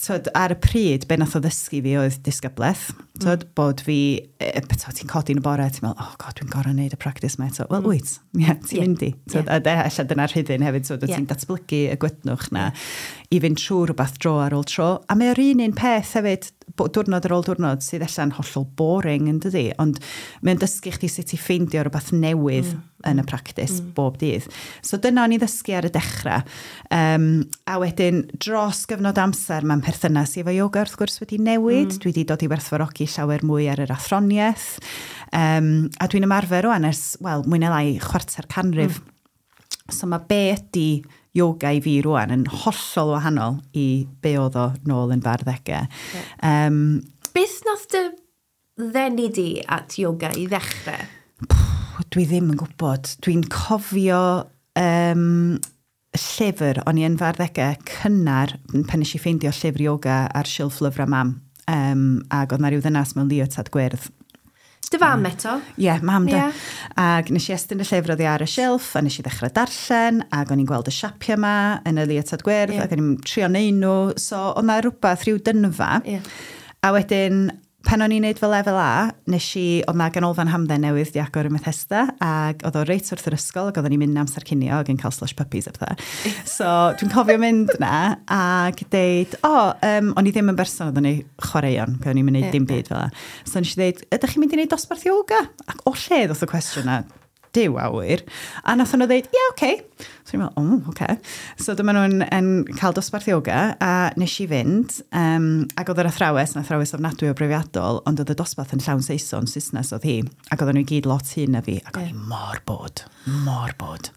twod, ar y pryd, be nath o ddysgu fi oedd disgyblaeth. Twod, bod fi, twod, ti'n codi yn y bore, ti'n meddwl, "Oh God, dwi'n gorfod neud y practice ma eto." Wel, wyt, yeah, ti'n mynd i. Twod, a ella dyna'r rhyddid hefyd, twod, ti'n datblygu y gwytnwch na i fynd trwy rhywbeth dro ar ôl tro. A mae o'r un un peth hefyd, diwrnod ar ôl diwrnod, sydd ella'n hollol boring yn dydi, ond mae'n dysgu chdi sut i ffeindio rhywbeth newydd yn y practice bob dydd. So dyna o'n i ddysgu ar y dechrau. A wedyn, dros gyfnod amser, mae'n perthynas i efo yoga wrth gwrs wedi newid. Dwi wedi dod i werthfawrogi llawer mwy ar yr athroniaeth. A dwi'n ymarfer rwan ers, wel, mwy neu lai chwarter canrif. So mae be ydy yoga i fi rwan yn hollol wahanol i be oedd o nôl yn fy arddegau. Beth nath dy ddenu di at yoga i ddechrau? Dwi ddim yn gwybod. Dwi'n cofio llyfr, o'n i yn fy arddegau cynnar, pan nes i ffeindio llyfr yoga ar silff lyfrau mam. Ac oedd na rhyw ddynas mewn leotard gwyrdd. Dy fam eto? Ie, yeah, mam de. Ie. Ac nes i estyn y llyfr oddi ar y silff, a nes i ddechrau darllen, ac o'n i'n gweld y siapiau yma yn y leotard gwyrdd, ac o'n i'n trio neud nhw. So, oedd na rhywbeth, rhyw dynfa. A wedyn, pan o'n i'n neud fy lefel A, nes i, oedd na ganolfan hamdden newydd di agor ym Methesda, ac oedd o reit wrth yr ysgol, ac oedden ni'n mynd amser cinio ac yn cael slush puppies a pethau. So, dwi'n cofio mynd na, ac deud, o, o'n i ddim yn berson oedd yn ei chwaraeon, o'n i'n mynd i dim byd fel 'na. So, nes i ddeud, "Ydych chi'n mynd i wneud dosbarth yoga?" Ac o lle ddoth y cwestiwn na? Duw a ŵyr. A nath nhw ddeud, "Ie, yeah, oce." Okay. So i'n meddwl, "O, oh, oce." Okay. So dyma nhw'n yn cael dosbarth yoga, a nes i fynd, ac oedd yr athrawes yn athrawes ofnadwy o brofiadol, ond oedd y dosbarth yn llawn Saeson, Saesnes oedd hi, ac oedden nhw i gyd lot hyn na fi, ac o'n i mor bored, mor bored.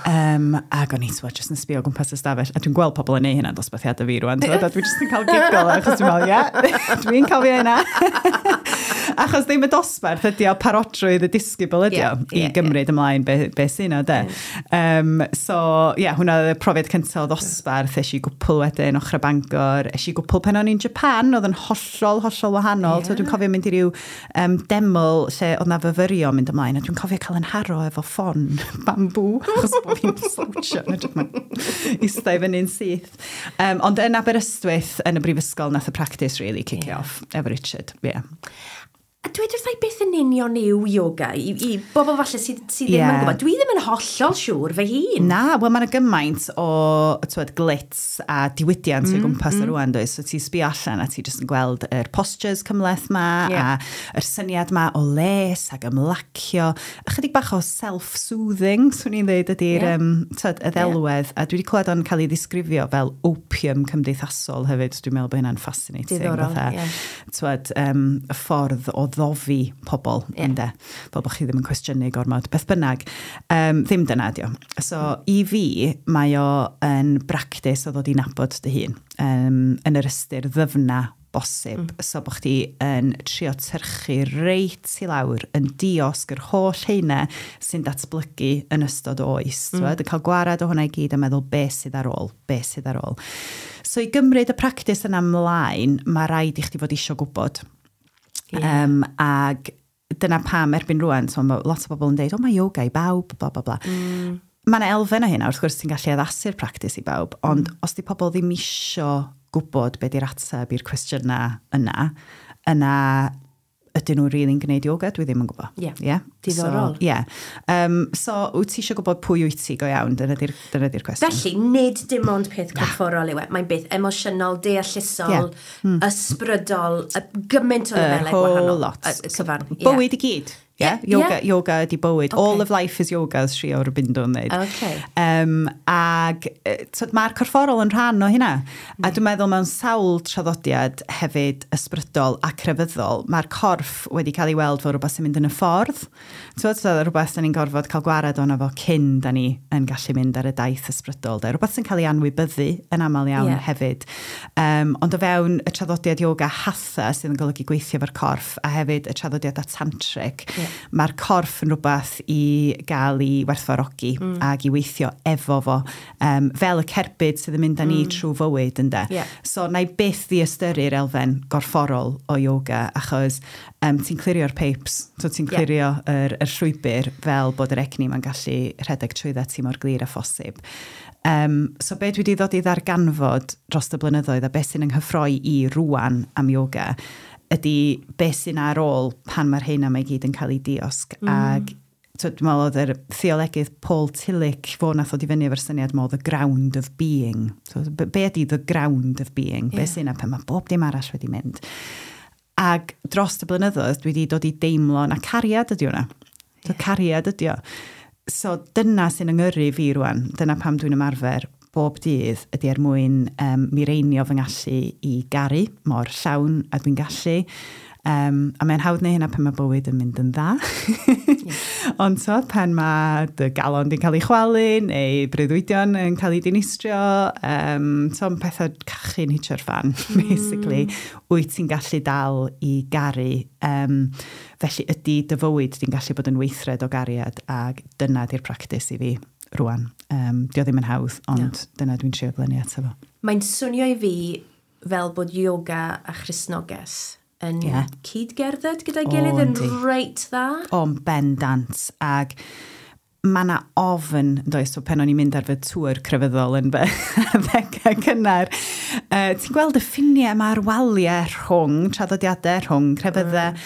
Ac o'n i, twod, jyst yn sbio o gwmpas y stafell, a dwi'n gweld pobl yn neud hynna dosbarthiadau fi rwan, twod, a dwi'n jyst yn cael giggle, achos dwi'n meddwl, ie, dwi'n cofio hynna. Achos ddim y dosbarth ydi o, parodrwydd y disgybl ydi o, Ie, i gymryd ymlaen be sy'n o, de. So, ie, yeah, hwnna oedd y profiad cyntaf o ddosbarth. Es i gwpl wedyn, ochr Bangor. Es i gwpl pan o'n i'n Japan, oedd yn hollol, hollol wahanol. So, dwi'n cofio mynd i ryw deml lle oedd na fyfyrio mynd ymlaen, a dwi'n cofio cael yn haro efo ffon bambŵ, achos bod fi'n slouchio, yn edrych ma'n ista i fyny'n syth. Ond yn Aberystwyth, yn y brifysgol, nath y practice really kick off efo Richard. Yeah. A dweud wrtha i beth yn union yw yoga i bobl falle sydd ddim yn gwybod. Dwi ddim yn hollol siŵr fy hun. Na, wel mae yna gymaint o, twed, glitz a diwydiant o'i gwmpas mm. rwan, does? So ti'n sbio allan a ti jyst yn gweld yr postures cymhleth ma, a yr syniad ma o les ac ymlacio. Ychydig bach o self-soothing, swn i'n dweud, ydy'r twed, y ddelwedd. A dwi wedi clywed o'n cael ei ddisgrifio fel opium cymdeithasol hefyd. Dwi'n meddwl bod hynna'n fascinating. Diddorol, fatha, ie. Twed, y ffordd o ddofi pobl, ynde, fel bod chi ddim yn cwestiynu gormod, beth bynnag. Ddim dyna ydi o. So, i fi, mae o yn bractis o ddod i nabod dy hun, yn yr ystyr ddyfna bosib. So, bod chdi yn trio tyrchu reit i lawr, yn diosg yr holl heina sy'n datblygu yn ystod oes. Yn cael gwarad o hwnna i gyd a meddwl beth sydd ar ôl, beth sydd ar ôl. So, i gymryd y practis yna ymlaen, mae rhaid i chdi fod isio gwybod. Ag dyna pam erbyn rwan, so mae lot o bobl yn deud, o, mae yoga i bawb, bla, bla, bla. Mae yna elfen o hynna, wrth gwrs ti'n gallu addasu'r practis i bawb, ond os di pobl ddim isio gwybod be di'r ateb i'r cwestiynau yna, yna ydyn nhw'n really'n gwneud yoga? Dwi ddim yn gwybod. Ie. Yeah? Diddorol. So, yeah. So, wyt ti eisiau gwybod pwy wyt ti go iawn? Dyna di'r cwestiwn. Felly, nid dim ond peth corfforol yw e. Mae'n beth emosiynol, deallusol, ysbrydol, gymaint o Y lefelau whole gwahanol. lot. Y cyfan. Ie. Bywyd i gyd. Yeah? Yoga, yoga ydi bywyd. Okay. All of life is yoga, as Sri Aurobindo yn dweud. Ag twyd, mae'r corfforol yn rhan o hynna. A dwi'n meddwl mewn sawl traddodiad hefyd ysbrydol a crefyddol, mae'r corff wedi cael ei weld fel rhywbeth sy'n mynd yn y ffordd. Twyd, so, rhywbeth da ni'n gorfod cael gwared ono fo cyn da ni yn gallu mynd ar y daith ysbrydol. De. Rhywbeth sy'n cael ei anwybyddu yn aml iawn hefyd. Ond o fewn y traddodiad yoga hatha sydd yn golygu gweithio efo'r corff a hefyd y traddodiadau tantric, mae'r corff yn rhywbeth i gael ei werthfawrogi ac i weithio efo fo, fel y cerbyd sydd yn mynd â ni trwy fywyd, ynde. So, na i byth ddiystyru'r elfen gorfforol o yoga, achos ti'n clirio'r pipes, so ti'n clirio yr llwybr fel bod yr egni ma'n gallu rhedeg trwydda ti mor glir a phosib. So be dwi wedi ddod i ddarganfod dros y blynyddoedd a beth sy'n ynghyffroi i rwan am yoga ydy beth sy'n ar ôl pan mae'r hyn am ei gyd yn cael ei diosg. Ag so, dwi'n meddwl oedd yr theolegydd Paul Tillich fo nath ddod i fyny efo'r syniad mo the ground of being. So, be ydy the ground of being? Be sy'n yna pan mae bob dim arall wedi mynd? Ag dros y blynyddoedd dwi wedi dod i deimlo na cariad ydy hwnna. So, cariad ydy o. So dyna sy'n yngyrru fi rwan. Dyna pam dwi'n ymarfer bob dydd ydy er mwyn mireinio fy ngallu i garu mor llawn a dwi'n gallu. A mae'n hawdd neu hynna pan mae bywyd yn mynd yn dda. Ond so, pan mae dy galon di'n cael ei chwalu neu breuddwydion yn cael ei dinistrio, so mae pethau cachu'n hitio'r fan, basically. Wyt ti'n gallu dal i garu. Felly ydy dy fywyd di'n gallu bod yn weithred o gariad, ac dyna di'r practis i fi rwan. Dio ddim yn hawdd, ond dyna dwi'n trio glynu ato fo. Mae'n swnio i fi fel bod yoga a Christnogaeth yn cyd-gerdded gyda'i gilydd yn reit dda. O'n bendant. Ag mae yna ofn, does, so pan o'n i'n mynd ar fy tŵr crefyddol yn fy ddegau cynnar, ti'n gweld y ffiniau yma a'r waliau rhwng traddodiadau, rhwng crefyddau,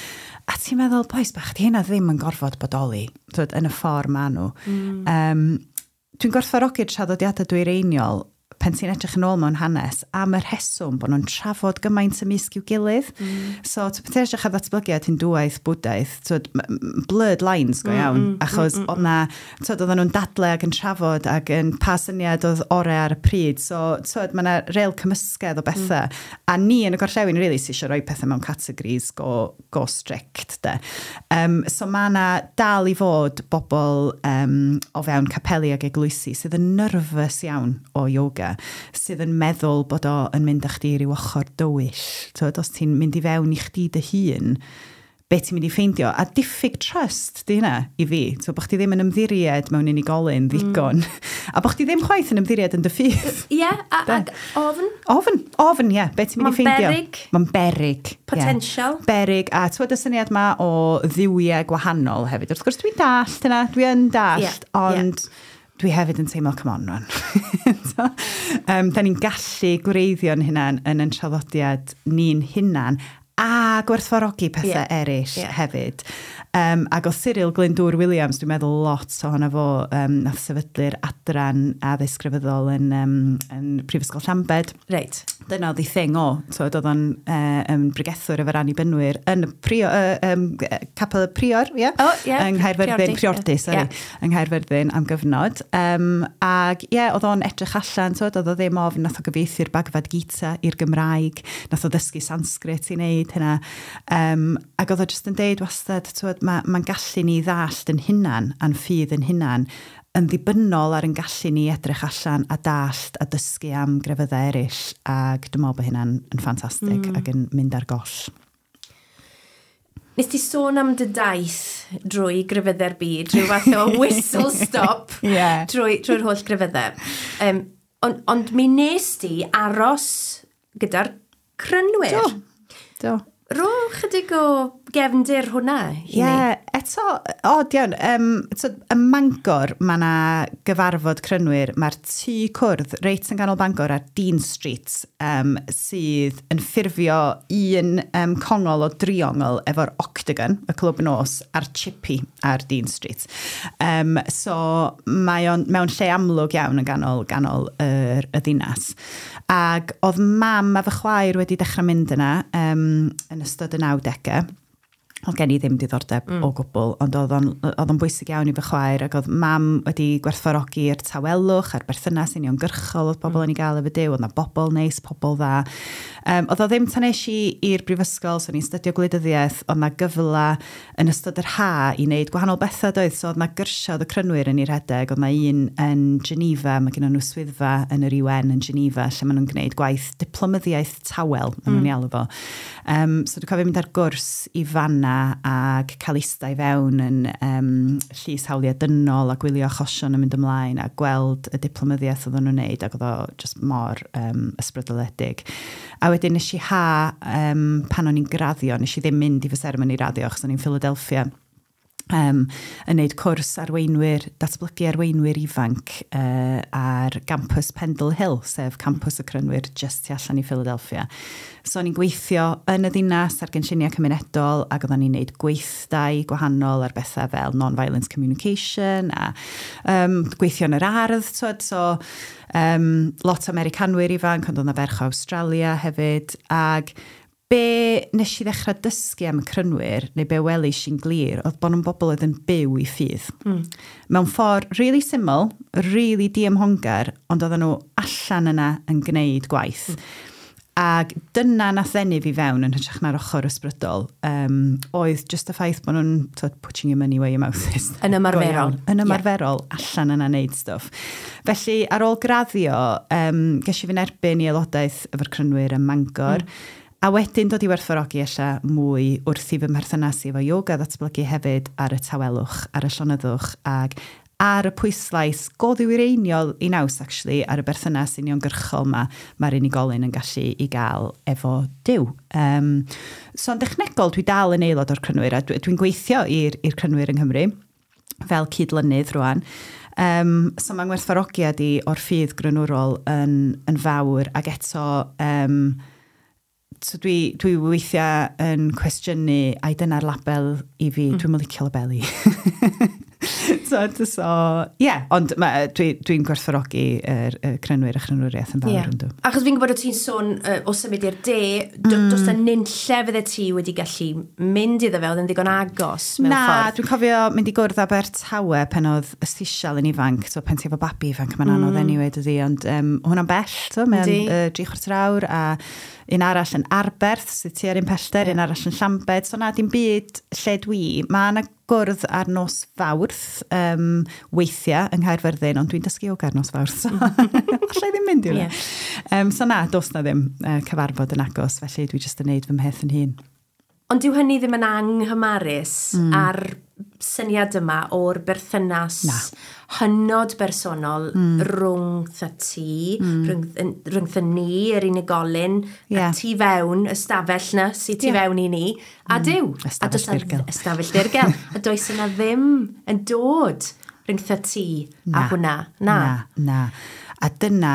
a ti'n meddwl, bois bach, di hynna ddim yn gorfod bodoli, twyd, yn y ffordd ma nhw. Dwi'n gwerthfawrogi'r traddodiadau dwyreiniol pan ti'n edrych yn ôl mewn hanes am y rheswm bod nhw'n trafod gymaint ymysg i'w gilydd. So, pan ti'n edrych ar ddatblygiad Hindŵaeth, Bwdaeth, twyd, blurred lines go iawn, achos oedd na, twyd, oedden nhw'n dadle ac yn trafod ac yn pa syniad oedd orau ar y pryd. So, twyd, mae yna real cymysgedd o bethau. A ni yn y gorllewin, really, sy'n eisiau rhoi pethau mewn categories go strict, de. So mae yna dal i fod bobl o fewn capeli ac eglwysi sydd yn nervous iawn o yoga, sydd yn meddwl bod o yn mynd â chdi i ryw ochr dywyll. Twyd, os ti'n mynd i fewn i chdi dy hun, be ti'n mynd i ffeindio? A diffyg trust di hynna i fi. So, bod chdi ddim yn ymddiried mewn unigolyn ddigon. A bod chdi ddim chwaith yn ymddiried yn dy ffydd. Ie, ag ofn, Ofn, ofn, ie. Be ti'n mynd i Ma'n ffeindio? beryg. Mae'n beryg. Ie. Potential. Beryg. A twyd y syniad ma o dduwiau gwahanol hefyd. Wrth gwrs dwi'n dallt yna, dwi yn dallt, ond dwi hefyd yn teimlo, come on, rwan. So, da ni'n gallu gwreiddio'n hunan yn ein traddodiad ni'n hunan A gwerthfawrogi pethau eraill hefyd. Ac oedd Cyril Glyndŵr Williams, dwi'n meddwl lot ohono fo, nath sefydlu'r adran addysg grefyddol yn Prifysgol Llambed. Dyna oedd ei thing o. So, oedd o'n bregethwr efo'r Annibynwyr yn y Capel y Prior, ie? Oh, ie. Yng Nghaerfyrddin, Priordy, Priordy, sorry, yng Nghaerfyrddin am gyfnod. Ac ie, oedd o'n edrych allan, so, oedd o ddim ofn, nath o gyfieithu'r Bhagavad Gita i'r Gymraeg, nath o ddysgu Sanskrit i wneud hynna. Ac oedd o jyst yn deud wastad, twyd, mae'n gallu ni ddallt yn hunan, a'n ffydd yn hunan, yn ddibynnol ar yn gallu ni edrych allan a dallt a dysgu am grefyddau eraill, ac dwi'n meddwl bod hynna'n yn ffantastig ac yn mynd ar goll. Nes ti sôn am dy daith drwy grefyddau'r byd, rhyw fath o whistle stop drwy'r holl grefyddau. Ond mi nes ti aros gyda'r Crynwyr. Do, do. Ro chydig o gefndir hwnna i Ie, ni. Eto, od iawn. So, ym Mangor, mae yna gyfarfod Crynwyr. Mae'r tŷ cwrdd reit yn ganol Bangor ar Dean Street, sydd yn ffurfio un congol o driongl efo'r Octagon, y clwb nos, a'r Chippy ar Dean Street. So mae o'n mewn lle amlwg iawn yn ganol y ddinas. Ac oedd mam a fy chwaer wedi dechrau mynd yna yn ystod y 90au. Oedd gen i ddim diddordeb o gwbl, ond oedd o'n bwysig iawn i fy chwaer, ac oedd mam wedi gwerthfawrogi'r tawelwch a'r berthynas uniongyrchol oedd pobl yn ei gael efo Duw, oedd 'na bobl neis, pobl dda. Oedd o ddim tan es i i'r brifysgol, so o'n i'n stydio gwleidyddiaeth, oedd 'na gyfle yn ystod yr ha i wneud gwahanol bethau doedd, so oedd 'na gyrsiau oedd y Crynwyr yn ei rhedeg, oedd 'na un yn Geneva, mae gen nhw swyddfa yn yr UN yn Geneva, lle maen nhw'n gwneud gwaith diplomyddiaeth tawel, maen nhw'n ei alw fo. So dwi'n cofio mynd ar gwrs i fanna ac cael ista i fewn yn llys hawliau dynol a gwylio achosion yn mynd ymlaen a gweld y diplomyddiaeth oedden nhw'n neud, ac oedd o just mor ysbrydoledig. A wedyn nes i pan o'n i'n graddio, nes i ddim mynd i fy seremoni raddio achos o'n i'n Philadelphia, yn neud cwrs arweinwyr, datblygu arweinwyr ifanc ar gampus Pendle Hill, sef campus y Crynwyr just tu allan i Philadelphia. So o'n i'n gweithio yn y ddinas ar gynlluniau cymunedol, ac oedden ni'n neud gweithdai gwahanol ar bethau fel non-violence communication a gweithio yn yr ardd, twyd, so lot o Americanwyr ifanc, ond oedd 'na ferch o Australia hefyd, ac be nes i ddechrau dysgu am y Crynwyr, neu be welis i'n glir, oedd bod nhw'n bobl oedd yn byw i ffydd. Mewn ffordd really syml, really diymhongar, ond oedden nhw allan yna yn gwneud gwaith. Ac dyna nath ddenu fi fewn yn hytrach na'r ochr ysbrydol, oedd just y ffaith bod nhw'n, twyd, putting your money where your mouth is. Yn ymarferol. Go iawn. Yn ymarferol, allan yna wneud stwff. Felly, ar ôl graddio, ges i fy nerbyn i aelodaeth efo'r Crynwyr ym Mangor. A wedyn dod i werthfawrogi ella mwy wrth i fy mherthynas i efo yoga ddatblygu hefyd ar y tawelwch, ar y llonyddwch, ac ar y pwyslais go ddiwreiniol i naws, actually, ar y berthynas uniongyrchol ma mae'r unigolyn yn gallu i gael efo Duw. So yn dechnegol, dwi dal yn aelod o'r Crynwyr, a dwi'n gweithio i'r Crynwyr yng Nghymru fel cydlynydd rwan. So mae'n ngwerthfawrogiad i o'r ffydd grynwrol yn fawr, ac eto... So dwi weithiau yn cwestiynu, ai dyna'r label i fi, dwi'n licio labelu. So, yeah, ond dwi'n gwerthfawrogi y Crynwyr a Chrynwriaeth yn fawr yndw. Achos fi'n gwybod o ti'n sôn o symud i'r de, does 'na nunlle fydde ti wedi gallu mynd iddo fe, oedd yn ddigon agos mewn Na, ffordd? Dwi'n cofio mynd i gwrdd Abertawe pan oedd Ystisial yn ifanc, so pan ti efo babi ifanc, mae'n anodd anyway, dydi, ond hwnna'n bell, so, mae'n 3/4 awr, a un arall yn Arberth, sydd tua'r un pellter, un arall yn Llambed, so na, dim byd lle dwi. Mae yna gwrdd ar nos Fawrth, weithiau yng Nghaerfyrddin, ond dwi'n dysgu yoga ar nos Fawrth, so allai ddim mynd i hwnna. So na, does na ddim cyfarfod yn agos, felly dwi jyst yn neud fy mheth yn hun. Ond dyw hynny ddim yn anghymarus ar syniad yma o'r berthynas Na. hynod bersonol rhwng ti, rhyngtha ni, yr unigolyn, a tu fewn, y stafell na, sydd tu fewn i ni, a Duw. A Ystafell does 'na ddirgel. Ystafell ddirgel. A does yna ddim yn dod rhyngtha ti a Na. hwnna. Na. Na, na. A dyna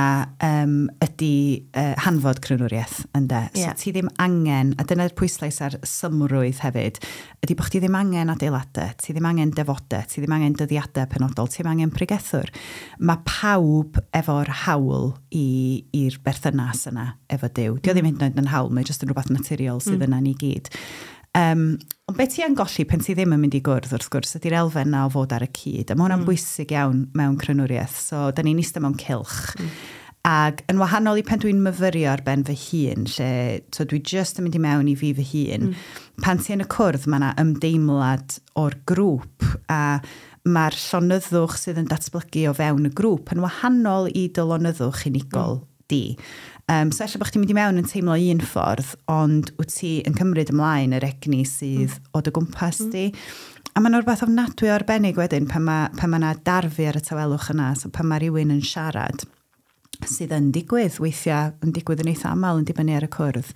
ydy hanfod crynwriaeth, ynde. So ti ddim angen, a dyna'r pwyslais ar symrwydd hefyd, ydy bod chdi ddim angen adeiladau, ti ddim angen defodau, ti ddim angen dyddiadau penodol, ti ddim angen pregethwr. Mae pawb efo'r hawl i'r berthynas yna efo Duw. Dio ddim hyd yn oed yn hawl, mae jyst yn rhywbeth naturiol sydd yna ni gyd. Ond beth ti yn golli pan ti ddim yn mynd i gwrdd, wrth gwrs, ydy'r elfen na o fod ar y cyd. A mae hwnna'n bwysig iawn mewn crynwriaeth. So, da ni'n eistedd mewn cylch. Ac yn wahanol i pan dwi'n myfyrio ar ben fy hun, lle so dwi just yn mynd i mewn i fi fy hun, pan ti yn y cwrdd, mae yna ymdeimlad o'r grŵp a mae'r llonyddwch sydd yn datblygu o fewn y grŵp yn wahanol i dy lonyddwch unigol di. So ella bod chdi'n mynd i mewn yn teimlo un ffordd, ond wyt ti yn cymryd ymlaen yr egni sydd o dy gwmpas di. A mae'n rhywbeth ofnadwy o arbennig wedyn pan mae yna darfu ar y tawelwch yna, so pan mae rhywun yn siarad, sydd yn digwydd, weithiau yn digwydd yn eitha aml yn dibynnu ar y cwrdd.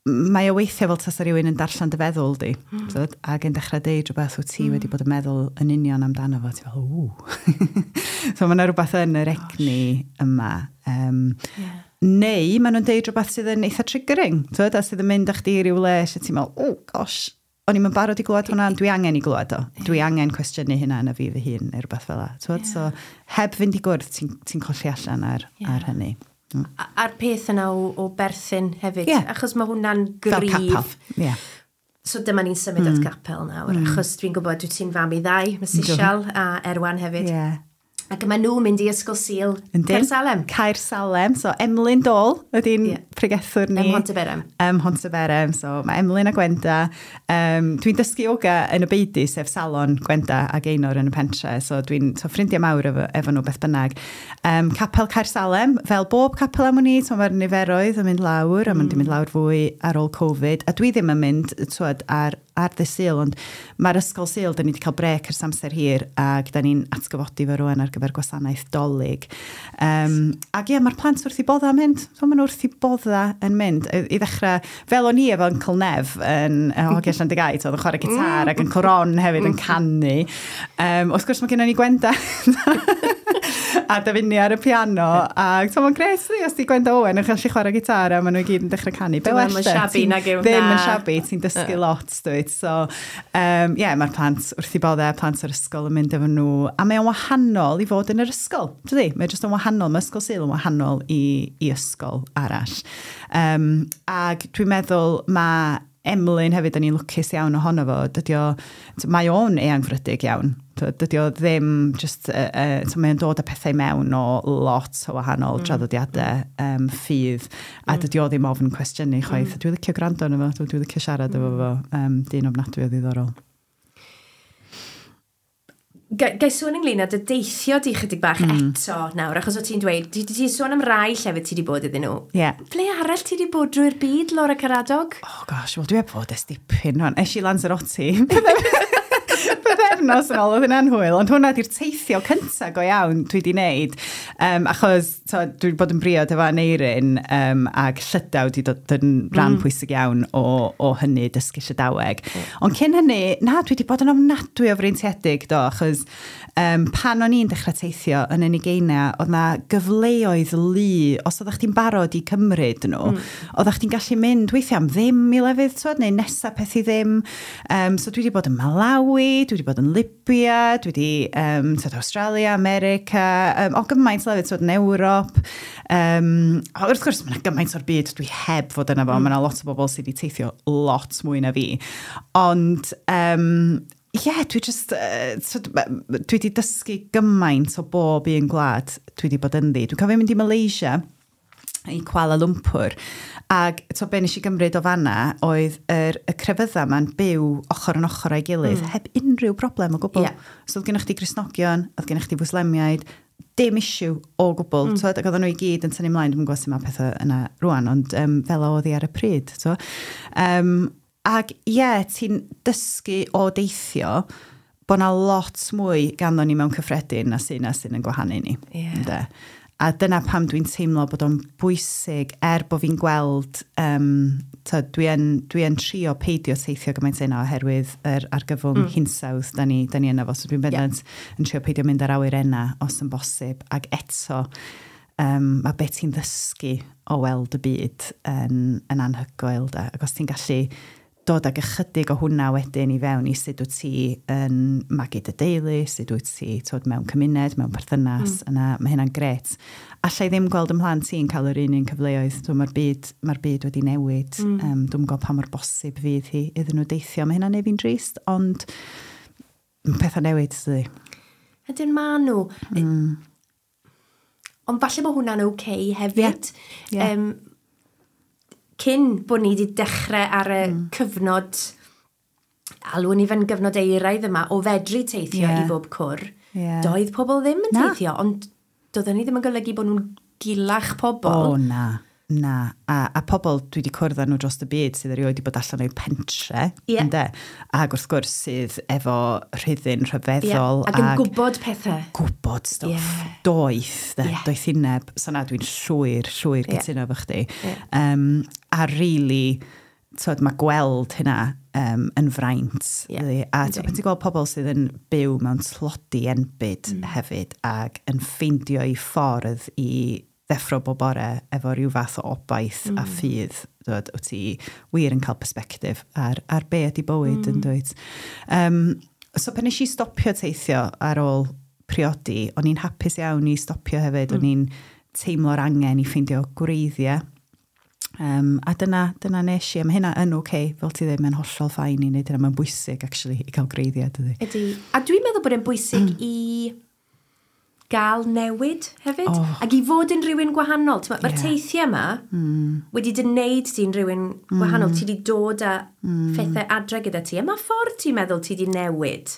Mae o weithiau fel tasa rhywun yn darllen dy feddwl di, ac yn dechrau deud rhywbeth wyt ti wedi bod yn meddwl yn union amdano fo, ti fel, ww. So mae yna rhywbeth yn yr egni yma. Neu maen nhw'n deud rhywbeth sydd yn eitha triggering, twyd, a sydd yn mynd â chdi i ryw le lle ti'n meddwl, oh gosh, o'n i'm yn barod i glywed hwnna, ond dwi angen i glywed o. Dwi angen cwestiynu hynna yn y fi fy hun, neu rhywbeth fel 'na. Twyd, so heb fynd i gwrdd, ti'n colli allan ar hynny. A'r peth yna o berthyn hefyd, achos mae hwnna'n Fel gryf. capel. So dyma ni'n symud at gapel nawr, achos dwi'n gwybod dwi ti'n fam i ddau, mae Sisial a Erwan hefyd. Ac mae nhw'n mynd i Ysgol Sul Yndyn. Caer Salem. Caer Salem. So Emlyn Dole ydy'n pregethwr ni. Ym Mhontyberem. Ym Mhontyberem. So mae Emlyn a Gwenda. Dwi'n dysgu yoga yn y beudy, sef salon Gwenda a Gaynor yn y pentre. So dwi'n so ffrindiau mawr efo nhw beth bynnag. Capel Caer Salem, fel bob capel am wn i, so mae'r niferoedd yn mynd lawr, a ma'n mynd lawr fwy ar ôl Covid. A dwi ddim yn mynd, twyd, ar ddydd Sul, ond mae'r Ysgol Sul, da ni wedi cael brec ers amser hir, ac da ni'n atgyfodi fo rwan ar gyfer gwasanaeth Dolig. Ac ie, mae'r plant wrth i bodda yn mynd. So, maen nhw wrth i bodda yn mynd. I ddechrau, fel o'n i efo Uncle Nev yn Hogia Llandygai, oedd yn chwarae gitar ac yn Ron hefyd yn canu. Wrth gwrs mae gennym ni Gwenda a Dafinia ar y piano. A so, mae'n gret, os di Gwenda Owen yn gallu chwarae gitar a maen nhw i gyd yn dechrau canu. Be Dwi'm well yn de? shabby Ti'n nag yw, Ddim yn na. shabby, ti'n dysgu lot, dwyt. So, yeah, mae'r plant wrth i bodde, plant o'r ysgol yn mynd efo nhw. A mae o'n wahanol i fod yn yr ysgol, dydi? Mae jyst yn wahanol, mae Ysgol Sul yn wahanol i ysgol arall. Ac dwi'n meddwl mae Emlyn hefyd, da ni'n lwcus iawn ohono fo, dydy o, mae o'n eangfrydig iawn. Dydy o ddim just, so mae o'n dod â pethau mewn o lot o wahanol traddodiadau ffydd, a dydy o ddim ofn cwestiynu chwaith. Dwi'n licio gwrando arno fo, dwi'n licio siarad efo fo, dyn ofnadwy o ddiddorol. Ga i sôn ynglyn â dy deithio di chydig bach eto nawr, achos o ti'n dweud, ti sôn am rai llefydd ti wedi bod iddyn nhw. Ble arall ti wedi bod drwy'r byd, Laura Caradog? Oh gosh, wel dwi heb fod ers dipyn rwan. Es i Lanzarote. Pythefnos yn ôl, oedd hynna'n hwyl, ond hwnna di'r teithio cynta go iawn dwi wedi wneud. Achos so, dwi wedi bod yn briod efo Aneirin ac Llydaw wedi dod yn rhan pwysig iawn o hynny, dysgu Llydaweg. Ond cyn hynny, na, dwi wedi bod yn ofnadwy o freintiedig do, achos pan o'n i'n dechrau teithio yn y ugeiniau, oedd na gyfleoedd lu, os oeddech chdi'n barod i cymryd nhw, oeddech chdi'n gallu mynd weithiau am ddim i lefydd, twod, neu nesa peth i ddim. So dwi wedi bod yn Malawi, dwi wedi bod yn Libya, dwi wedi twod, Australia, America, o gymaint o lefydd, twod, yn Ewrop. O, wrth gwrs, mae yna gymaint o'r byd dwi heb fod yna fo, mae yna lot o bobl sydd wedi teithio lot mwy na fi. Ond, ie, dwi just, so, dwi wedi dysgu gymaint o bob un gwlad dwi wedi bod ynddi. Dwi'n cofio mynd i Malaysia, i Kuala Lumpur, ac to be nes i gymryd o fanna oedd y crefydda ma'n byw ochr yn ochr â'i gilydd, heb unrhyw broblem o gwbl. So oedd gennych chdi Gristnogion, oedd gennych chdi Fwslemiaid, dim issue o gwbl. Twod, ac oedden nhw i gyd yn tynnu ymlaen, dwi'n gwybod sut mae pethau yna rwan, ond fel oedd hi ar y pryd. So. Ac ie, yeah, ti'n dysgu o deithio bod na lot mwy ganddo ni mewn cyffredin na sy'n yn gwahanu ni. Ynde? A dyna pam dwi'n teimlo bod o'n bwysig, er bod fi'n gweld, dwi yn trio peidio teithio gymaint yna oherwydd yr argyfwng hinsawdd da ni yna fo. So dwi'n bendant yn trio peidio mynd ar awyrenna os yn bosib. Ac eto, mae beth ti'n ddysgu o weld y byd yn anhygoel, da. Ac os ti'n gallu dod ag ychydig o hwnna wedyn i fewn i sut wyt ti yn magu dy deulu, sut wyt ti tod, mewn cymuned, mewn perthynas, yna mae hynna'n gret. Alla i ddim gweld ymhlant ti'n cael yr un un cyfleoedd. So, mae'r byd wedi newid. Dwi'n gwybod pa mor bosib fydd hi iddyn nhw deithio. Mae hynna'n neud fi'n drist, ond pethau newid, dydy. Ydyn ma nhw. Ond falle bod hwnna'n oce okay hefyd. Yeah. Cyn bod ni wedi dechrau ar y cyfnod, alwn ni fe'n gyfnod euraidd yma, o fedru teithio i bob cwr, doedd pobl ddim yn Na. teithio, ond doedden ni ddim yn golygu bod nhw'n gilach pobl. O, na. Na. A pobl dwi wedi cwrdd â nhw dros y byd sydd erioed wedi bod allan o'u pentre. Ynde? Ac wrth gwrs sydd efo rhuddin rhyfeddol. Ac yn gwybod pethau. Gwybod stwff. Doeth, de, doethineb. So na, dwi'n llwyr, llwyr cytuno efo chdi. A really, tyd, mae gweld hynna yn fraint. Really. A pan ti'n gweld pobl sydd yn byw mewn tlodi enbyd hefyd ac yn ffeindio eu ffordd i ddeffro bob bore efo rhyw fath o obaith a ffydd, dod, wyt ti wir yn cael perspectif ar be ydy bywyd yn dweud. So pan nes i stopio teithio ar ôl priodi, o'n i'n hapus iawn i stopio hefyd, o'n i'n teimlo'r angen i ffeindio gwreiddiau. A dyna nes i, a mae hynna yn oce, okay, fel ti ddim, mae'n hollol fine i wneud hynna, mae'n bwysig actually i cael gwreiddiau, dydy. Ydy. A dwi'n meddwl bod e'n bwysig i gael newid hefyd. Oh. Ac i fod yn rhywun gwahanol. Mae'r teithiau yma wedi dy wneud ti'n rhywun gwahanol. Ti wedi dod â phethau adre gyda ti. A mae ffordd ti'n meddwl ti wedi newid.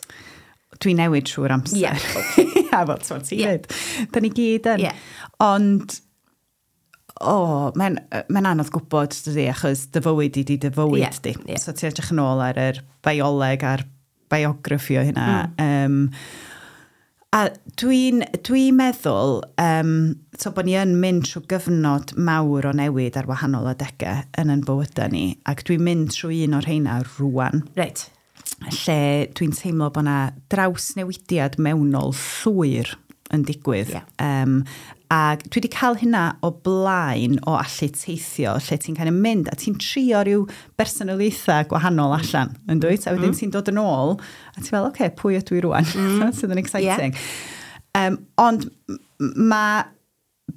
Dwi'n newid trwy'r amser. Ia, fel ti'n dweud. Da ni gyd yn. Ond, o, mae'n anodd gwybod, dydy, achos dy fywyd i di dy fywyd di. So ti'n edrych yn ôl ar yr bioleg a'r biograffi o hynna. A dwi meddwl so bod ni yn mynd trwy gyfnod mawr o newid ar wahanol adegau yn yn bywydau ni, ac dwi'n mynd trwy un o'r rheina rwan lle dwi'n teimlo bod yna drawsnewidiad mewnol llwyr yn digwydd. Ac dwi wedi cael hynna o blaen o allu teithio, lle ti'n kind of mynd a ti'n trio rhyw bersonoliaethau gwahanol allan, yn dwyt? A wedyn ti'n dod yn ôl, a ti'n fel, oce, okay, pwy ydw i rwan? Sydd yn exciting. Ond mae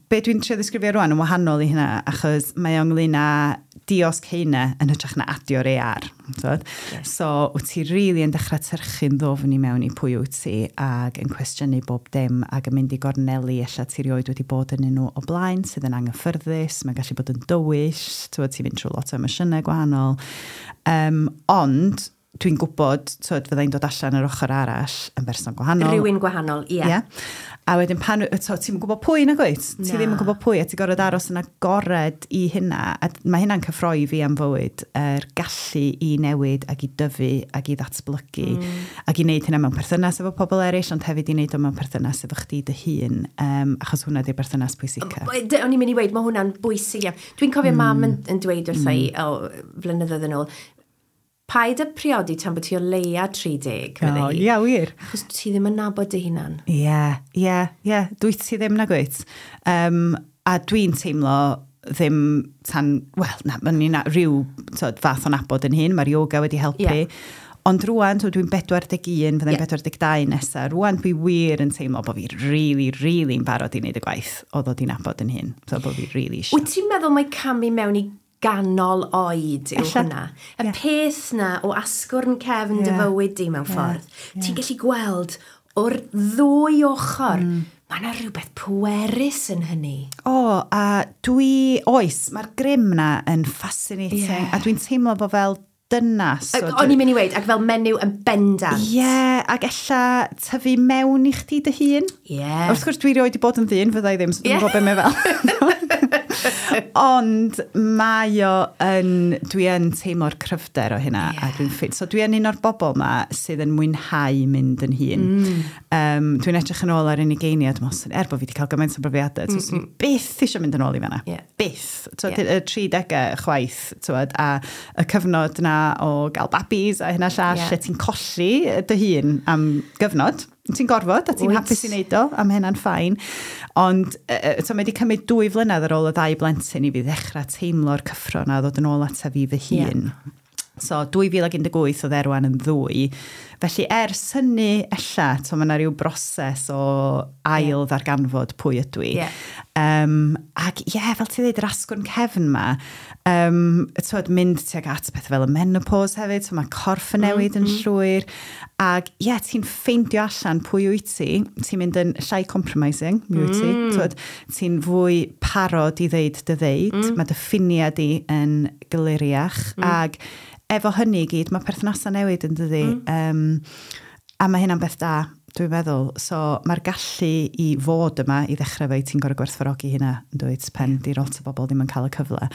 be dwi'n trio ddisgrifio rwan yn wahanol i hynna, achos mae o ynglyn â diosg heina yn hytrach na adio'r AR. T'wod? So, wyt ti really yn dechrau tyrchu'n ddofn i mewn i pwy wyt ti ac yn cwestiynu bob dim ac yn mynd i gorneli ella ti rioed wedi bod yn nhw o blaen sydd yn anghyffyrddus, mae'n gallu bod yn dywyll, t'wod, ti'n mynd trwy lot o emosiynau gwahanol. Ond dwi'n gwybod, t'wod, fyddai'n dod allan yr ochr arall yn berson gwahanol. Rhywun gwahanol, ie. Ie. A wedyn pan, to, ti'n gwybod pwy na gwyt? Ti Na. ddim yn gwybod pwy, a ti'n gorfod aros yn agored i hynna. A mae hynna'n cyffroi fi am fywyd, yr gallu i newid ac i dyfu ac i ddatblygu. Ac i wneud hynna mewn perthynas efo pobl eraill, ond hefyd i wneud o mewn perthynas efo chdi dy hun, achos hwnna di'r berthynas pwysica. O'n i'n mynd i weud, mae hwnna'n bwysig iawn. Dwi'n cofio mam yn dweud wrtha i, o, flynyddoedd yn ôl, "Paid â priodi tan bod ti o leia 30", medde hi. Ia, wir. "Achos ti ddim yn nabod dy hunan." Ie. Dwyt ti ddim na gwyt. A dwi'n teimlo ddim tan, wel, na, mae'n ni'n rhyw tod, fath o nabod yn hun, mae'r yoga wedi helpu. Ond rwan, so dwi'n 41, fyddai'n 42 nesaf. Rwan dwi wir yn teimlo bod fi really, really yn barod i wneud y gwaith o ddod i nabod yn hun. So bod fi really eisiau. Wyt ti'n meddwl mai camu mewn i ganol oed yw Ella. hwnna? Y peth na o asgwrn cefn dy fywyd di mewn ffordd. Ti'n gallu gweld o'r ddwy ochr. Mae yna rhywbeth pwerus yn hynny. O, a dwi, oes, mae'r grym na yn fascinating. A dwi'n teimlo bod fel dynas. So, o'n i'n mynd i weud, ac fel menyw yn bendant. Ie, yeah, ac ella tyfu mewn i chdi dy hun. Ie. Wrth gwrs, dwi rioed wedi bod yn ddyn, fyddai ddim, so dwi'n gwybod be mae fel. Ond mae o yn, dwi yn teimlo'r cryfder o hynna. A dwi'n ffit. So dwi yn un o'r bobl ma sydd yn mwynhau mynd yn hŷn. Dwi'n edrych yn ôl ar ugeiniau, dwi'n meddwl, er bod fi wedi cael gymaint o brofiadau, so mm byth eisiau mynd yn ôl i fanna. Byth. Twod, y 30au chwaith, twod, a y cyfnod na o gael babis a hynna llall, lle ti'n colli dy hun am gyfnod. Ti'n gorfod a ti'n hapus i wneud o, a mae hynna'n fine. Ond so, mae wedi cymryd 2 flynedd ar ôl y ddau blentyn i fi ddechrau teimlo'r cyffro na ddod yn ôl ata fi fy hun. So 2018 oedd Erwan yn 2. Felly ers hynny ella, to, mae yna rhyw broses o ail ddarganfod pwy ydw i. Ac ie, yeah, fel ti'n dweud, yr asgwrn cefn ma, twod, mynd tuag at pethau fel y menopause hefyd, so mae corff yn newid yn llwyr. Ac ie, yeah, ti'n ffeindio allan pwy wyt ti, ti'n mynd yn llai compromising, mi wyt ti, twod, ti'n fwy parod i ddeud dy ddeud, mae dy ffiniau di yn gliriach, ac efo hynny i gyd, mae perthnasau newid yn dydi. A mae hynna'n beth da, dwi'n meddwl. So mae'r gallu i fod yma i ddechrau fe, ti'n gorfod gwerthfawrogi hynna, yn dweud, pen di lot o bobl ddim yn cael y cyfle.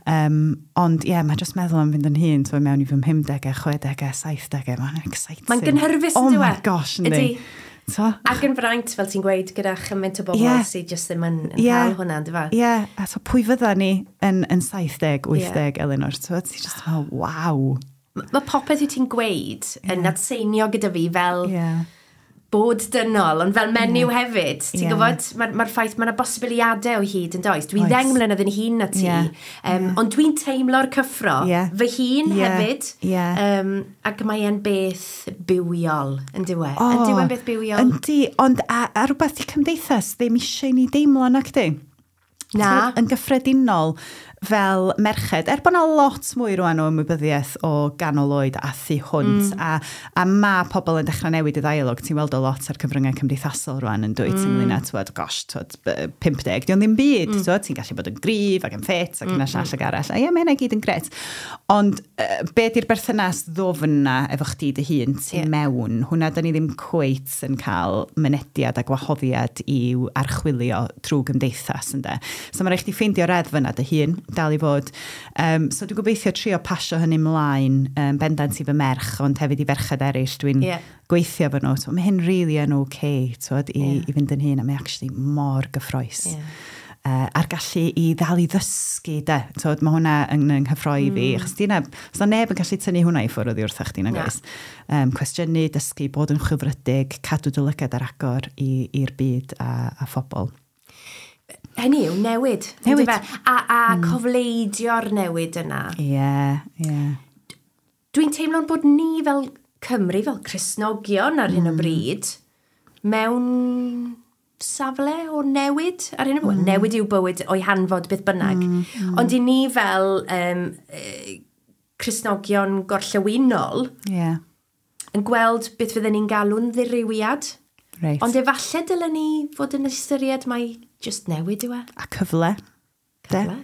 Ond ie, yeah, mae jyst meddwl am fynd yn hŷn, so mewn i fy 50au, 60au, 70au, mae'n exciting. Mae'n gynhyrfus, Oh yn dyw e? my gosh, yndi. Ydi. So, Ac yn fraint, fel ti'n gweud, gyda chymaint o bobl sydd jyst ddim yn cael hwnna, ynddo fe? Ie, yeah, a so pwy fydda ni yn 70, 80, Elinor? So, ti'n just meddwl, waw. Mae popeth wyt ti'n gweud yn atseinio gyda fi fel bod dynol, ond fel menyw hefyd. Ti'n gwybod, mae'r ma ffaith, mae yna bosibiliadau o hyd yn does. Dwi'n 10 mlynedd yn hŷn na ti, ond dwi'n teimlo'r cyffro fy hun hefyd. Ac mae e'n beth bywiol, yn dyw e? Yn dyw e'n beth bywiol? Yndi, ond a rhywbeth i cymdeithas ddim eisiau i ni deimlo nac di? Na. T'mod, yn gyffredinol fel merched, er bod yna lot mwy rwan o ymwybyddiaeth o ganol oed a thu hwnt, a mae pobl yn dechrau newid y ddialog, ti'n weld o lot ar cyfryngau cymdeithasol rwan yn dwyt, ynglyn â, twod, gosh, twod, 50, di o'n ddim byd, twod, ti'n gallu bod yn gryf ac yn ffit ac yna llall ac arall, a ie, mae hynna i gyd yn gret. Ond be di'r berthynas ddofn na efo chdi dy hun tu mewn, hwnna da ni ddim cweit yn cael mynediad a gwahoddiad i'w archwilio trwy gymdeithas, ynde. So mae rhaid chdi ffeindio reddf yna dy hun, dal i fod. So dwi'n gobeithio trio pasio hynny mlaen, bendant i fy merch, ond hefyd i ferched eraill dwi'n gweithio efo nhw. So, mae hyn really yn okay, twod, i fynd yn hŷn, a mae actually mor gyffrous. A'r gallu i ddal i ddysgu, de. Twod, mae hwnna yn nghyffroi fi. Achos di neb, os na neb yn gallu tynnu hwnna i ffwrdd oddi wrthach chdi, nag Na. oes? Cwestiynu, dysgu, bod yn chwilfrydig, cadw dy lygad ar agor i'r byd a phobl. Hynny yw, newid. Newid. Yndyfe? A cofleidio'r newid yna. Ie, ie. Dwi'n teimlo'n bod ni fel Cymru, fel Cristnogion ar hyn o bryd, mewn safle o newid ar hyn o bryd. Newid yw bywyd o'i hanfod beth bynnag. Ond i ni fel Cristnogion gorllewinol yn gweld beth fydden ni'n galw'n ddirywiad. Ond efallai dylen ni fod yn ystyried mai just newid yw e. A cyfle. De? Cyfle.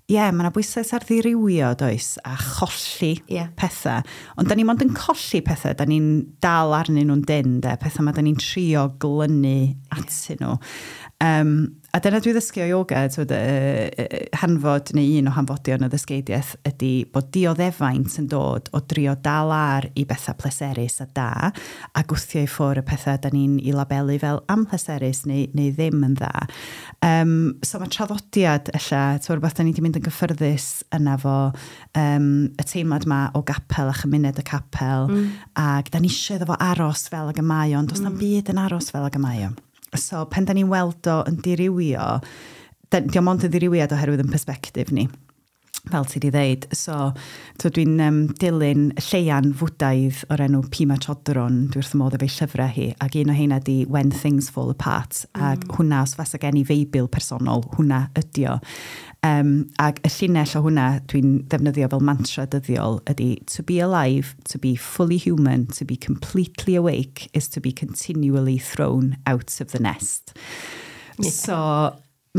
Ie, yeah, mae yna bwyslais ar ddirywio, does, a cholli pethau. Ond da ni mond yn colli pethau, da ni'n dal arnyn nhw'n dyn, de, pethau ma da ni'n trio glynu atyn nhw. A dyna dwi ddysgu o yoga, twyd, hanfod neu un o hanfodion y ddysgeidiaeth ydy bod dioddefaint yn dod o drio dal ar i bethau pleserus a da, a gwthio i ffwrdd y pethau da ni'n i labelu fel amhleserus neu ddim yn dda. So mae traddodiad ella, ti'n rhywbeth da ni wedi mynd yn gyffyrddus yna fo, y teimlad ma o gapel a chymuned y capel, ac da ni eisiau iddo fo aros fel ag y mae o, ond does na'm byd yn aros fel ag y mae o. So, pen da ni'n weld o yn dirywio, di o mond yn ddirywiad oherwydd yn perspectif ni, fel ti di ddeud. So dwi'n dilyn lleian Fwdaidd o'r enw Pema Chodron, dwi wrth y modd efo'i llyfrau hi, ac un o heina di When Things Fall Apart, ac hwnna, os fasa gen i feibl personol, hwnna ydi o. Ac y llinell o hwnna dwi'n ddefnyddio fel mantra dyddiol ydy "To be alive, to be fully human, to be completely awake is to be continually thrown out of the nest." So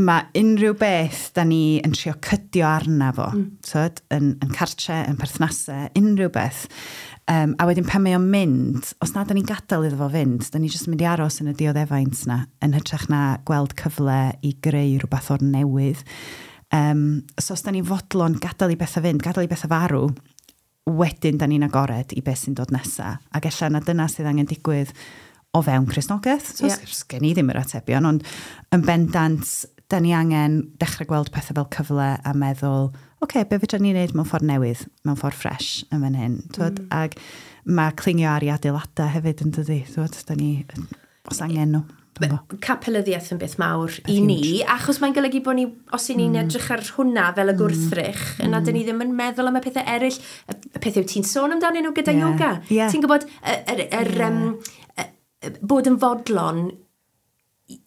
mae unrhyw beth da ni yn trio cydio arna fo, tyd, yn cartre, yn perthnasau, unrhyw beth. A wedyn pan mae o'n mynd, os na da ni'n gadael iddo fo fynd, da ni jyst yn mynd i aros yn y dioddefaint na, yn hytrach na gweld cyfle i greu rhywbeth o'r newydd. So os da ni'n fodlon gadael i bethau fynd, gadael i bethau farw, wedyn da ni'n agored i beth sy'n dod nesa. Ac ella na dyna sydd angen digwydd o fewn Cristnogaeth. So, yeah. Gen i ddim yr atebion, ond yn bendant, da ni angen dechrau gweld pethau fel cyfle a meddwl, okay, be fedra ni wneud mewn ffordd newydd, mewn ffordd ffres yn fan hyn. Ac mae clingio ar i adeiladau hefyd yn dydi. Twod, da ni, os angen nhw. Capelyddiaeth yn beth mawr i ni, achos mae'n golygu bod ni, os i ni'n edrych ar hwnna fel y gwrthrych, yna dyn ni ddim yn meddwl am y pethau eraill, y pethau ti'n sôn amdanyn nhw gyda yoga. Ti'n gwybod, bod yn fodlon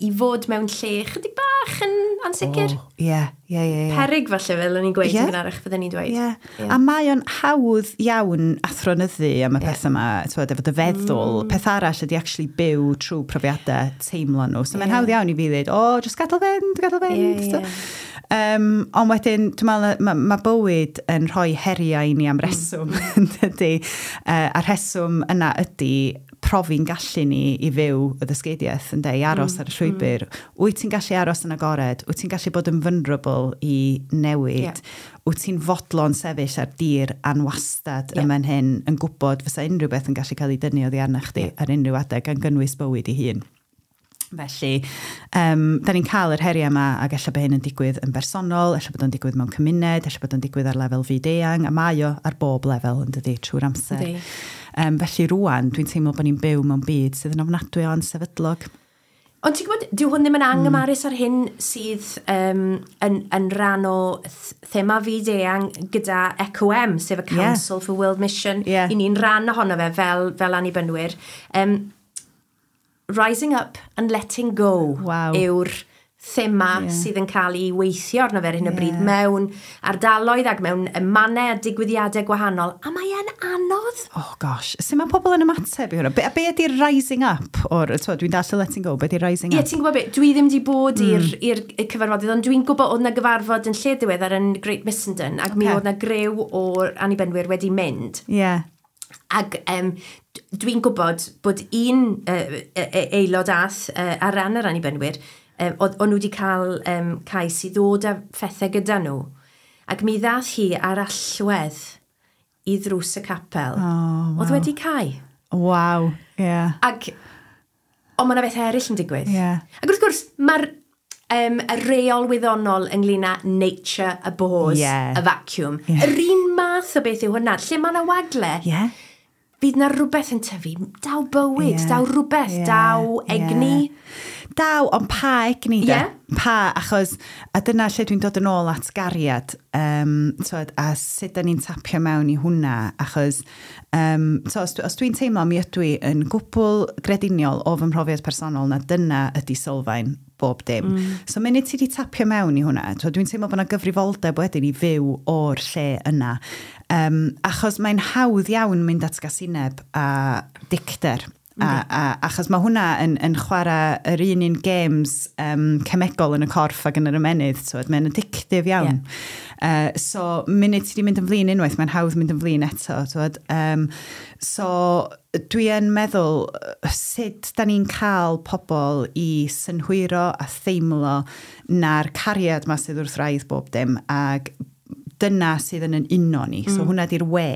i fod mewn lle chydig bach yn ansicr. Oh, ie. Perig falle fel o'n i'n gweud yn gynharach fydden ni'n dweud. A mae o'n hawdd iawn athronyddu am y peth yma, twod, efo dy feddwl. Peth arall ydy actually byw trwy profiadau teimlo nhw. So mae'n hawdd iawn i fi ddweud, "O, just gadael fynd, gadael fynd." Ond wedyn, dwi'n meddwl, ma bywyd yn rhoi heriau i ni am reswm, yn dydy. A'r rheswm yna ydy profi'n gallu ni i fyw y ddysgeidiaeth, ynde, i aros ar y llwybr. Wyt ti'n gallu aros yn agored? Wyt ti'n gallu bod yn vulnerable i newid? Wyt ti'n fodlon sefyll ar dir anwastad yma'n hyn yn gwybod fysa unrhyw beth yn gallu cael ei dynnu oddi arna chdi ar unrhyw adeg, gan gynnwys bywyd ei hun? Felly, da ni'n cael yr heriau yma ac ella bod hyn yn digwydd yn bersonol, ella bod o'n digwydd mewn cymuned, ella bod o'n digwydd ar lefel fyd-eang, a mae o ar bob lefel yn dydi trwy'r amser. Felly rwan, dwi'n teimlo bod ni'n byw mewn byd sydd yn ofnadwy o ansefydlog. Ond ti'n gwybod, dyw hwn ddim yn anghymarus ar hyn sydd yn rhan o thema fyd-eang gyda ECOM, sef y Council for World Mission. I ni'n rhan ohono fe fel annibynwyr. Rising Up and Letting Go yw'r thema sydd yn cael ei weithio arno fe ar hyn o bryd mewn ardaloedd ac mewn mannau a digwyddiadau gwahanol. A mae e'n anodd. Oh gosh, sut mae pobl yn ymateb i hwnna? Be ydy'r rising up? O'r, twod, dwi'n dall y letting go, be ydy'r rising up? Ie, ti'n gwybod be, dwi ddim wedi bod i'r cyfarfodydd, ond dwi'n gwybod oedd na gyfarfod yn lle diweddar yn Great Missenden, ac mi oedd na grew o'r annibynwyr wedi mynd. Ac dwi'n gwybod bod un aelod ath ar ran yr annibynwyr, o'n nhw wedi cael cais i ddod â phethau gyda nhw. Ac mi ddath hi ar allwedd i ddrws y capel. Oh, Oedd wedi cau. Waw, ie. Yeah. Ac, ond mae yna bethau eraill yn digwydd. Ac wrth gwrs, mae'r y reol wyddonol ynglyn â nature abhors a vacuum. Yr un math o beth yw hwnna. Lle mae yna wagle, fydd na rhywbeth yn tyfu. Daw bywyd, daw rhywbeth, daw egni. Daw, ond pa egni de? Pa, achos, a dyna lle dwi'n dod yn ôl at gariad, twod, a sut da ni'n tapio mewn i hwnna, achos, so, os dwi'n teimlo mi ydw i yn gwbl grediniol o fy mhrofiad personol na dyna ydy sylfaen bob dim. So, munud ti di tapio mewn i hwnna, twod, dwi'n teimlo bod yna gyfrifoldeb wedyn i fyw o'r lle yna. Achos mae'n hawdd iawn mynd at gasineb a dicter. A achos mae hwnna yn chwarae yr un games cemegol yn y corff ac yn yr ymennydd, so mae'n addictive iawn. So, munud ti wedi mynd yn flin unwaith, mae'n hawdd mynd yn flin eto. Twod. So, dwi yn meddwl sut da ni'n cael pobl i synhwyro a theimlo na'r cariad ma sydd wrth wraidd bob dim, ac dyna sydd yn uno ni. So hwnna di'r we.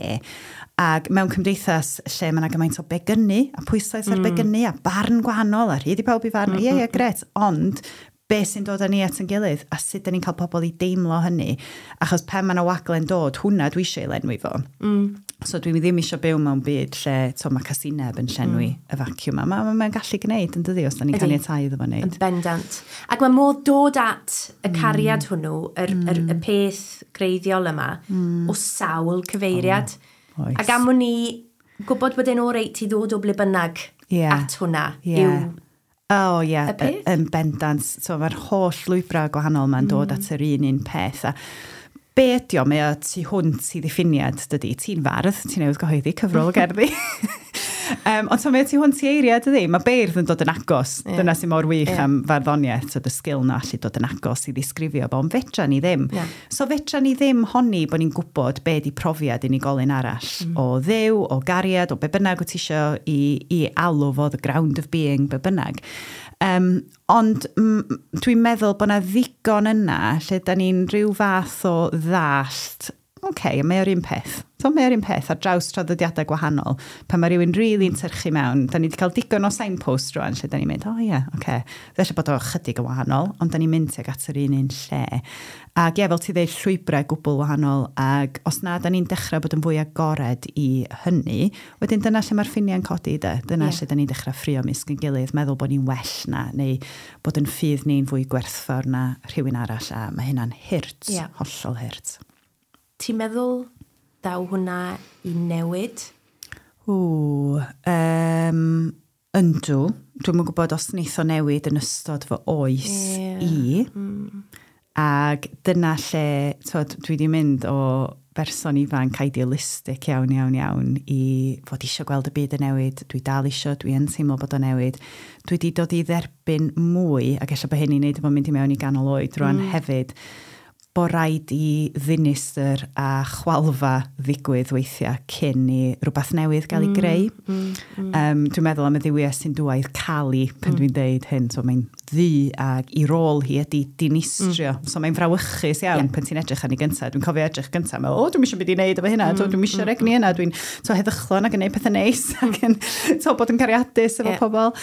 Ac mewn cymdeithas lle mae yna gymaint o begynnu, a pwyslais ar begynnu, a barn gwahanol, a rhydd i pawb i farn. Ie, gret. Ond be sy'n dod â ni at yn gilydd, a sut da ni'n cael pobl i deimlo hynny. Achos pen mae yna wagle'n dod, hwnna dwi eisiau ei lenwi fo. So dwi ddim eisiau byw mewn byd lle to, mae casineb yn llenwi y vacuum. Mae'n gallu gwneud yn dydi, os da ni'n caniatáu iddo fo wneud. Yn bendant. Ac mae modd dod at y cariad hwnnw, y peth greiddiol yma, o sawl cyfeiriad. Oh, oes. Ac am wn i gwybod bod e'n oreit i ddod o ble bynnag at hwnna yw Oh, ie, y peth? Yn bendant. So, mae'r holl lwybrau gwahanol ma'n dod at yr un peth. A be ydi o, mae o tu hwnt i ddiffiniad, dydy. Ti'n fardd, ti'n newydd gyhoeddi cyfrol o gerddi. Ond so, mae o tu hwnt i eiriau, dydy. Mae beirdd yn dod yn agos. Dyna sy'n mor wych am farddoniaeth, so y sgil na allu dod yn agos i ddisgrifio fo, ond fedra ni ddim. So fedra ni ddim honni bod ni'n gwybod be di profiad unigolyn arall o Dduw, o gariad, o be bynnag wyt ti isio i alw fo, the ground of being, be bynnag. Ond dwi'n meddwl bod 'na ddigon yna lle da ni'n rhyw fath o ddallt, oce, mae o'r un peth. So mae o'r un peth ar draws traddodiadau gwahanol. Pan mae rhywun rili'n tyrchu mewn, da ni wedi cael digon o signpost rwan lle da ni'n mynd, o oh, ie, yeah, oce. Okay. Felly bod o chydig yn wahanol, ond da ni'n mynd tuag at yr un un lle. Ac ie, fel ti dweud, llwybrau gwbl wahanol, ac os na, da ni'n dechrau bod yn fwy agored i hynny, wedyn dyna lle mae'r ffiniau'n codi, de. Dyna lle da ni'n dechrau ffrio mysg yn gilydd, meddwl bod ni'n well na, neu bod yn ffydd ni'n fwy gwerthfawr na rhywun arall, a mae hynna'n hurt, hollol hurt. Ti'n meddwl daw hwnna i newid? O, yndw. Dwi'm yn gwybod os wneith o newid yn ystod fy oes i. Ac dyna lle, twod, dwi wedi mynd o berson ifanc idealistic iawn, iawn, iawn i fod eisiau gweld y byd yn newid. Dwi dal eisiau, dwi yn teimlo bod o'n newid. Dwi wedi dod i dderbyn mwy, ac ella bod hyn i wneud efo mynd i mewn i ganol oed rwan hefyd, bod rhaid i ddinistr a chwalfa ddigwydd weithiau cyn i rhywbeth newydd gael ei greu. Dwi'n meddwl am y dduwies sy'n dŵaidd Kali pan dwi'n deud hyn. So mae'n ddu ac i rôl hi ydy dinistrio. So mae'n frawychus iawn pan ti'n edrych arni gyntaf. Dwi'n cofio edrych gyntaf, meddwl, o, dwi'n eisiau byd i wneud efo hynna, mm, dwi'n eisiau egni yna, dwi'n to, heddychlon ac yn gwneud pethau neis ac yn to, bod yn cariadus efo pobl.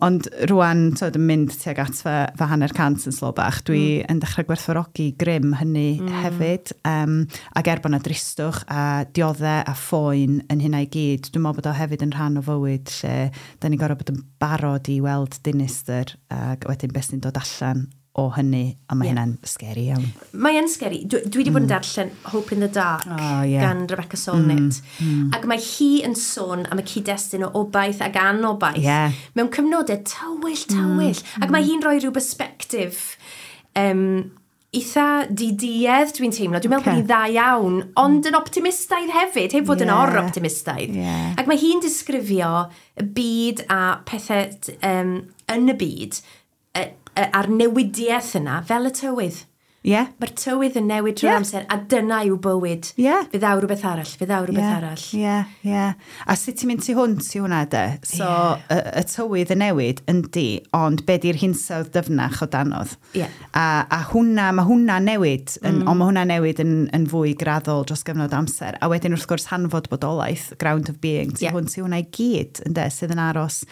Ond rwan, to, yn mynd tuag at fy hanner cant yn slo bach, dwi yn dechrau gwerthfawrogi grym hynny hefyd. Ac er bod yna dristwch a dioddau a phoen yn hynna i gyd, dwi'n meddwl bod o hefyd yn rhan o fywyd lle da ni'n gorfod bod yn barod i weld dinistr ac wedyn beth sy'n dod allan o hynny, a mae hynna'n scary iawn. Mae yn scary. Dwi wedi bod yn darllen Hope in the Dark gan Rebecca Solnit. Ac mae hi yn sôn am y cyd-destun o obaith ac anobaith mewn cyfnodau tywyll, tywyll. Ac mae hi'n rhoi rhyw perspective eitha diduedd, dwi'n teimlo. Dwi'n meddwl bod hi'n dda iawn, ond yn optimistaidd hefyd, heb fod yn or-optimistaidd. Ac mae hi'n disgrifio y byd a pethau yn y byd a'r newidiaeth yna fel y tywydd. Mae'r tywydd yn newid trwy'r amser, a dyna yw bywyd. Fe ddaw rhywbeth arall, fe ddaw rhywbeth arall. Ie, ie. A sut ti'n mynd tu hwnt i hwnna, de? So, y tywydd yn newid, yndi, ond be di'r hinsawdd dyfnach o danodd? A hwnna, mae hwnna newid, ond mae hwnna newid yn fwy graddol dros gyfnod amser. A wedyn, wrth gwrs, hanfod bodolaeth, ground of being, tu hwnt i hwnna i gyd, ynde, sydd yn aros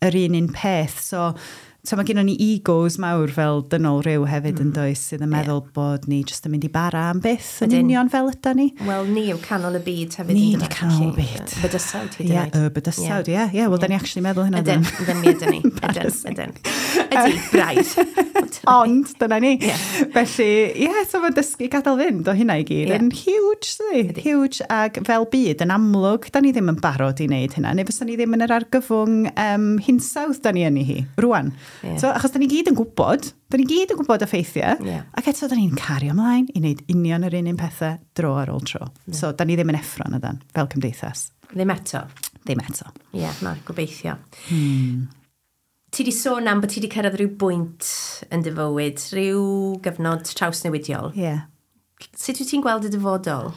yr un un peth. So mae gennym ni egos mawr fel dynol rhyw hefyd yn does, sydd yn meddwl bod ni jyst yn mynd i bara am byth yn union fel yda ni. Wel, ni yw canol y byd hefyd. Ni yw canol y byd. Bydysawd hyd yn oed. Ie, y bydysawd, ie. Ie, wel, da ni actually meddwl hynna. Ydyn, ydyn ni, ydyn ni. Ydyn, ydyn. Ydy, braidd. Ond, dyna ni. Felly, ie, so mae dysgu gadael fynd o hynna i gyd yn huge, dydi? Huge, ac fel byd, yn amlwg, da ni ddim yn barod i wneud hynna, neu fysa ni ddim yn yr argyfwng hinsawdd da ni yn ei hi, rwan. So, achos da ni gyd yn gwybod, da ni gyd yn gwybod y ffeithiau, ac eto da ni'n cario ymlaen i wneud union yr un un pethau dro ar ôl tro. So, da ni ddim yn effro na dan, fel cymdeithas. Ddim eto. Ddim eto. Ie, yeah, na, gobeithio. Ti di sôn am bod ti di cyrraedd rhyw bwynt yn dy fywyd, rhyw gyfnod trawsnewidiol. Ie. Yeah. Sut wyt ti'n gweld y dyfodol?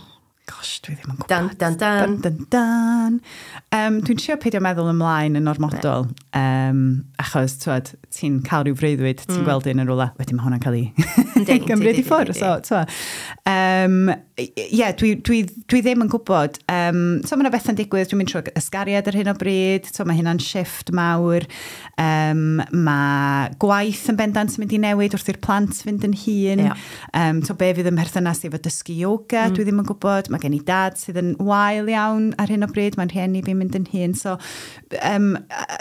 Gosh, dwi ddim yn gwybod. Dan, dan, dan. Dan, dan, dan. Dwi'n trio peidio meddwl ymlaen yn ormodol, achos, twod, ti'n cael rhyw freuddwyd, ti'n gweld un yn rhywle, wedyn mae hwnna'n cael ei gymryd i ffwrdd. So, twod. Ie, dwi ddim yn gwybod. So, mae yna bethau'n digwydd, dwi'n mynd trwy ysgariad ar hyn o bryd, so, mae hynna'n shift mawr. Mae gwaith yn bendant yn mynd i newid wrth i'r plant fynd yn hŷn. So, be fydd ym mherthynas i efo dysgu yoga, dwi ddim yn gwybod. Mae gen i dad sydd yn wael iawn ar hyn o bryd, mae'n rhieni fi'n mynd yn hŷn. So,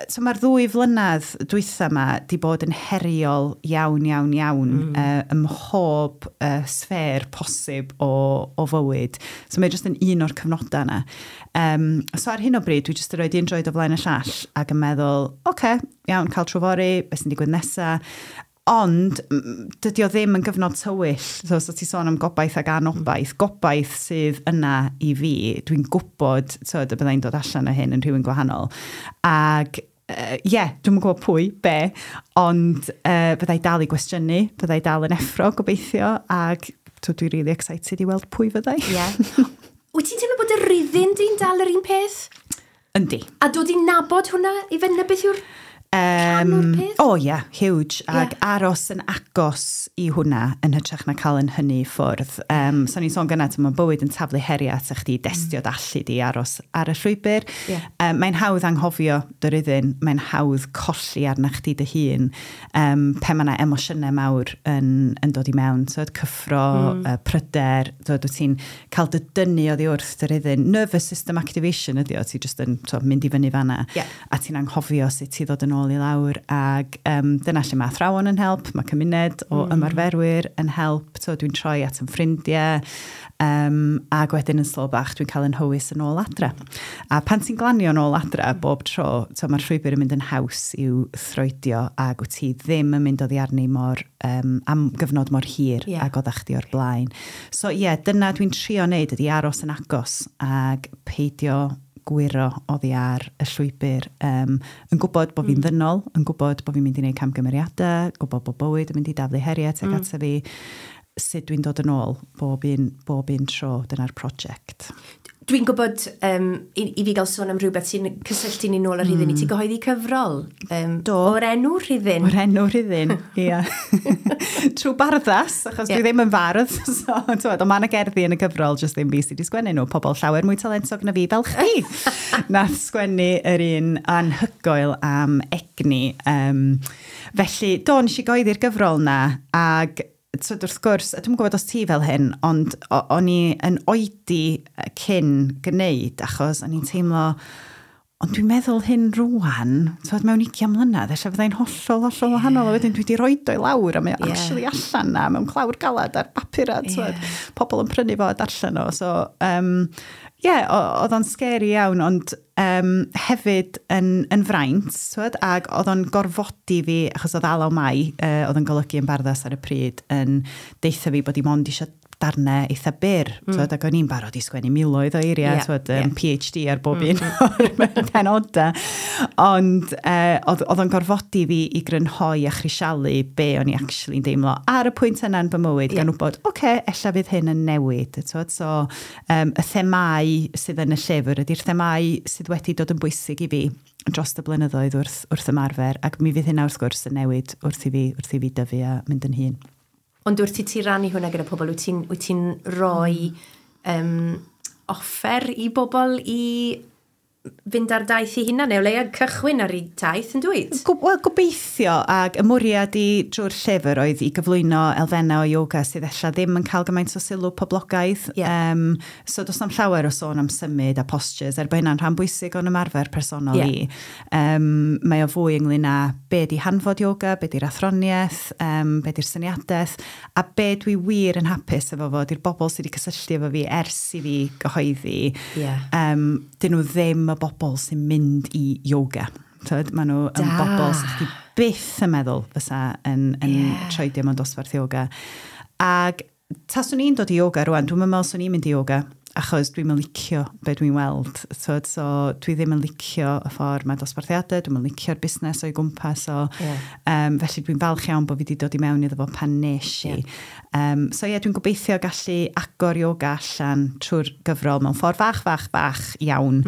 so mae'r 2 flynedd dwytha yma di bod yn heriol iawn, iawn, iawn ym mhob sffêr posib o fywyd. So mae jyst yn un o'r cyfnodau yna. So ar hyn o bryd, dwi jyst yn rhoi un droed o flaen y llall ac yn meddwl, oce, iawn, cael trwy fory, beth sy'n digwydd nesa. Ond dydy o ddim yn gyfnod tywyll. So ti sôn am gobaith ac anobaith. Gobaith sydd yna i fi. Dwi'n gwybod, tywed, y byddai'n dod allan o hyn yn rhywun gwahanol. Ac ie, dwi'm yn gwybod pwy, be, ond byddai dal i gwestiynu, byddai dal yn effro, gobeithio, ac dwi'n really excited i weld pwy fyddai. Yeah. Wyt ti'n teimlo bod y rhyddid di'n dal yr un peth? Yndi. A dod i nabod hwnna i fyny beth yw'r Rhan o'r peth? O oh, ie, yeah, huge. Ac aros yn agos i hwnna yn hytrach na cael yn hynny ffwrdd. So ni'n sôn gynna, mae bywyd yn taflu heriau at chdi, destio dallu di aros ar y llwybr. Mae'n hawdd anghofio dy ryddyn, mae'n hawdd colli arna chdi dy hun pe mae yna emosiynau mawr yn dod i mewn. So, cyffro, pryder, so, wyt ti'n cael dy dynnu oddi wrth dy ryddyn. Nervous system activation ydi o, ti just yn so, mynd i fyny fanna. A ti'n anghofio sut ti ddod yn ôl i lawr, ac dyna lle mae athrawon yn help, mae cymuned o ymarferwyr yn help, so dwi'n troi at yn ffrindiau, ac wedyn yn slo bach dwi'n cael yn hywys yn ôl adre. A pan ti'n glanio yn ôl adre bob tro, so mae'r llwybr yn mynd yn haws i'w throedio, ac wyt ti ddim yn mynd oddi arni mor, am gyfnod mor hir ag oeddach chdi o'r blaen. So ie, yeah, dyna dwi'n trio wneud ydi aros yn agos ac peidio gwyro oddi ar y llwybr, yn gwybod bod fi'n ddynol, yn gwybod bod fi'n mynd i wneud camgymeriadau, gwybod bod bywyd yn mynd i daflu heriau tuag ata fi, sut dwi'n dod yn ôl bob un tro, dyna'r prosiect. Dwi'n gwybod i fi gael sôn am rhywbeth sy'n cysylltu ni nôl ar rhithyn, i ti gyhoeddi cyfrol. Do. O'r enw Rhithyn. O'r enw Rhithyn, ia. Trwy barddas, achos dwi ddim yn fardd, so, ond mae yna gerddi yn y gyfrol, jyst ddim fi sydd wedi sgwennu nhw, pobl llawer mwy talentog na fi fel chdi. Nath sgwennu yr un anhygoel am egni. Felly, do, nes i gyhoeddi'r gyfrol na, ag so, wrth gwrs, a dwi'm yn gwybod os ti fel hyn, ond o'n i yn oedi cyn gwneud, achos o'n i'n teimlo, ond dwi'n meddwl hyn rwan, so, mewn 20 mlynedd, ella fyddai'n hollol, hollol wahanol, a wedyn dwi wedi roid o i lawr, a mae o actually allan na, mewn clawr galad ar bapur, a pobl yn prynu fo a darllen o. So, oedd o'n scary iawn, ond hefyd yn fraint, twyd, ac oedd o'n gorfodi fi, achos oedd Alaw Mai, oedd yn golygu yn Barddas ar y pryd, yn deutha fi bod i mond eisiau darnau eitha byr, twyd, ac o'n i'n barod i sgwennu miloedd o eiriau, twyd, PhD ar bob un o'r penodau. Ond oedd o'n gorfodi fi i grynhoi a chrisialu be o'n i actually'n deimlo ar y pwynt yna yn fy mywyd, gan wybod, oce, ella fydd hyn yn newid. Twyd, so, y themau sydd yn y llyfr ydy'r themau sydd wedi dod yn bwysig i fi dros y blynyddoedd wrth ymarfer, ac mi fydd hynna wrth gwrs yn newid wrth i fi dyfu a mynd yn hŷn. Ond wrth i ti rannu hwnna gyda pobl, wyt ti'n rhoi offer i bobl i fynd ar daith i hunan, neu o leia cychwyn ar ei taith, yn dweud? Wel, gobeithio, ac y mwriad i drwy'r llyfr oedd i gyflwyno elfennau o yoga sydd ella ddim yn cael gymaint o sylw poblogaidd. So does na'm llawer o sôn am symud a postures, er bod hynna'n rhan bwysig o'n ymarfer personol i. Mae o fwy ynglyn â be di hanfod yoga, be di'r athroniaeth, be di'r syniadaeth, a be dwi wir yn hapus efo fo, di'r bobl sydd wedi cysylltu efo fi ers i fi gyhoeddi. Dyn nhw ddim y bobl sy'n mynd i yoga. Tyd, maen nhw yn bobl sy'n chdi byth yn meddwl fysa yn troedio mewn dosbarth yoga. Ac taswn i'n dod i yoga rwan, dwi'n meddwl swn i'n mynd i yoga, achos dwi'n yn licio be dwi'n weld. Tyd, so dwi ddim yn licio y ffordd mae dosbarthiadau, dwi'n yn licio'r busnes o'i gwmpas. So, felly dwi'n falch iawn bod fi wedi dod i mewn iddo fo pan nes i. So ie, dwi'n gobeithio gallu agor yoga allan trwy'r gyfrol mewn ffordd fach, fach, fach iawn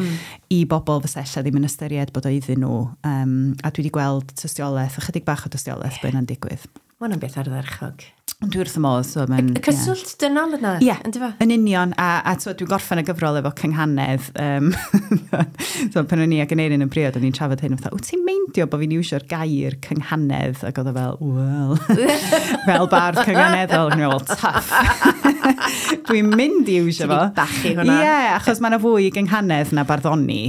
i bobl fysa ella ddim yn ystyried bod o iddyn nhw. A dwi wedi gweld tystiolaeth, ychydig bach o tystiolaeth bod hynna'n digwydd. Mae hwnna'n beth ardderchog. Ond dwi wrth y modd. So mae'n, y cyswllt dynol yna, yndyfe? Yn union, a dwi'n gorffen y gyfrol efo cynghanedd. So pan o'n i ac Aneirin yn briod, o'n i'n trafod hyn, fatha, wyt ti'n meindio bod fi'n iwsio'r gair cynghanedd? Ac oedd o fel, wel, fel bardd cynghaneddol. O'n i'n meddwl, tough. Dwi'n mynd i iwsio fo. Ti'n bachu hwnna. Ie, achos mae yna fwy i gynghanedd na barddoni.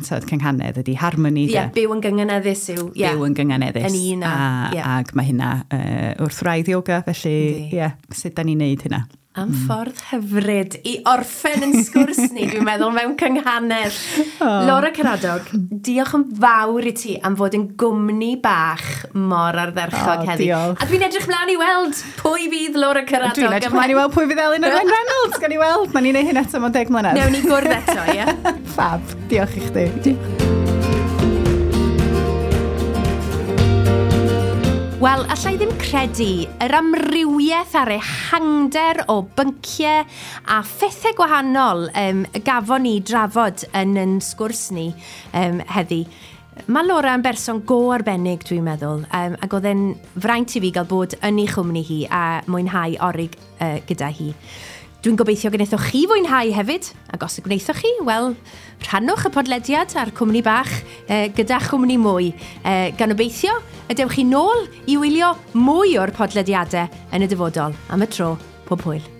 So, cynghanedd ydy harmoni. Ie, byw yn gynghaneddus yw. Byw yn gynghaneddus. Yn un a. Ac mae hynna wrth wraidd yoga, felly, ie, sut da ni'n neud hynna? Am ffordd hyfryd i orffen yn sgwrs ni, dwi'n meddwl, mewn cynghanedd. Laura Caradog, diolch yn fawr i ti am fod yn gwmni bach mor ardderchog heddi. Diolch. A dwi'n edrych mlaen i weld pwy fydd Laura Caradog. Dwi'n edrych mlaen i weld pwy fydd Elin Owen Reynolds. Gan i weld, nawn ni wneud hyn eto mewn 10 mlynedd. Newn ni gwrdd eto, ie? Fab, diolch i chdi. Diolch. Wel, allai ddim credu yr amrywiaeth a'r ehangder o bynciau a phethau gwahanol gafon ni drafod yn sgwrs ni heddi. Mae Laura yn berson go arbennig, dwi'n meddwl, ac oedd e'n fraint i fi gael bod yn ei chwmni hi a mwynhau orig gyda hi. Dwi'n gobeithio gwnaethoch chi fwynhau hefyd, ac os y gwnaethoch chi, wel, rhannwch y podlediad a'r cwmni bach gyda chwmni mwy. Gan obeithio y dewch chi nôl i wylio mwy o'r podlediadau yn y dyfodol. Am y tro, pob hwyl.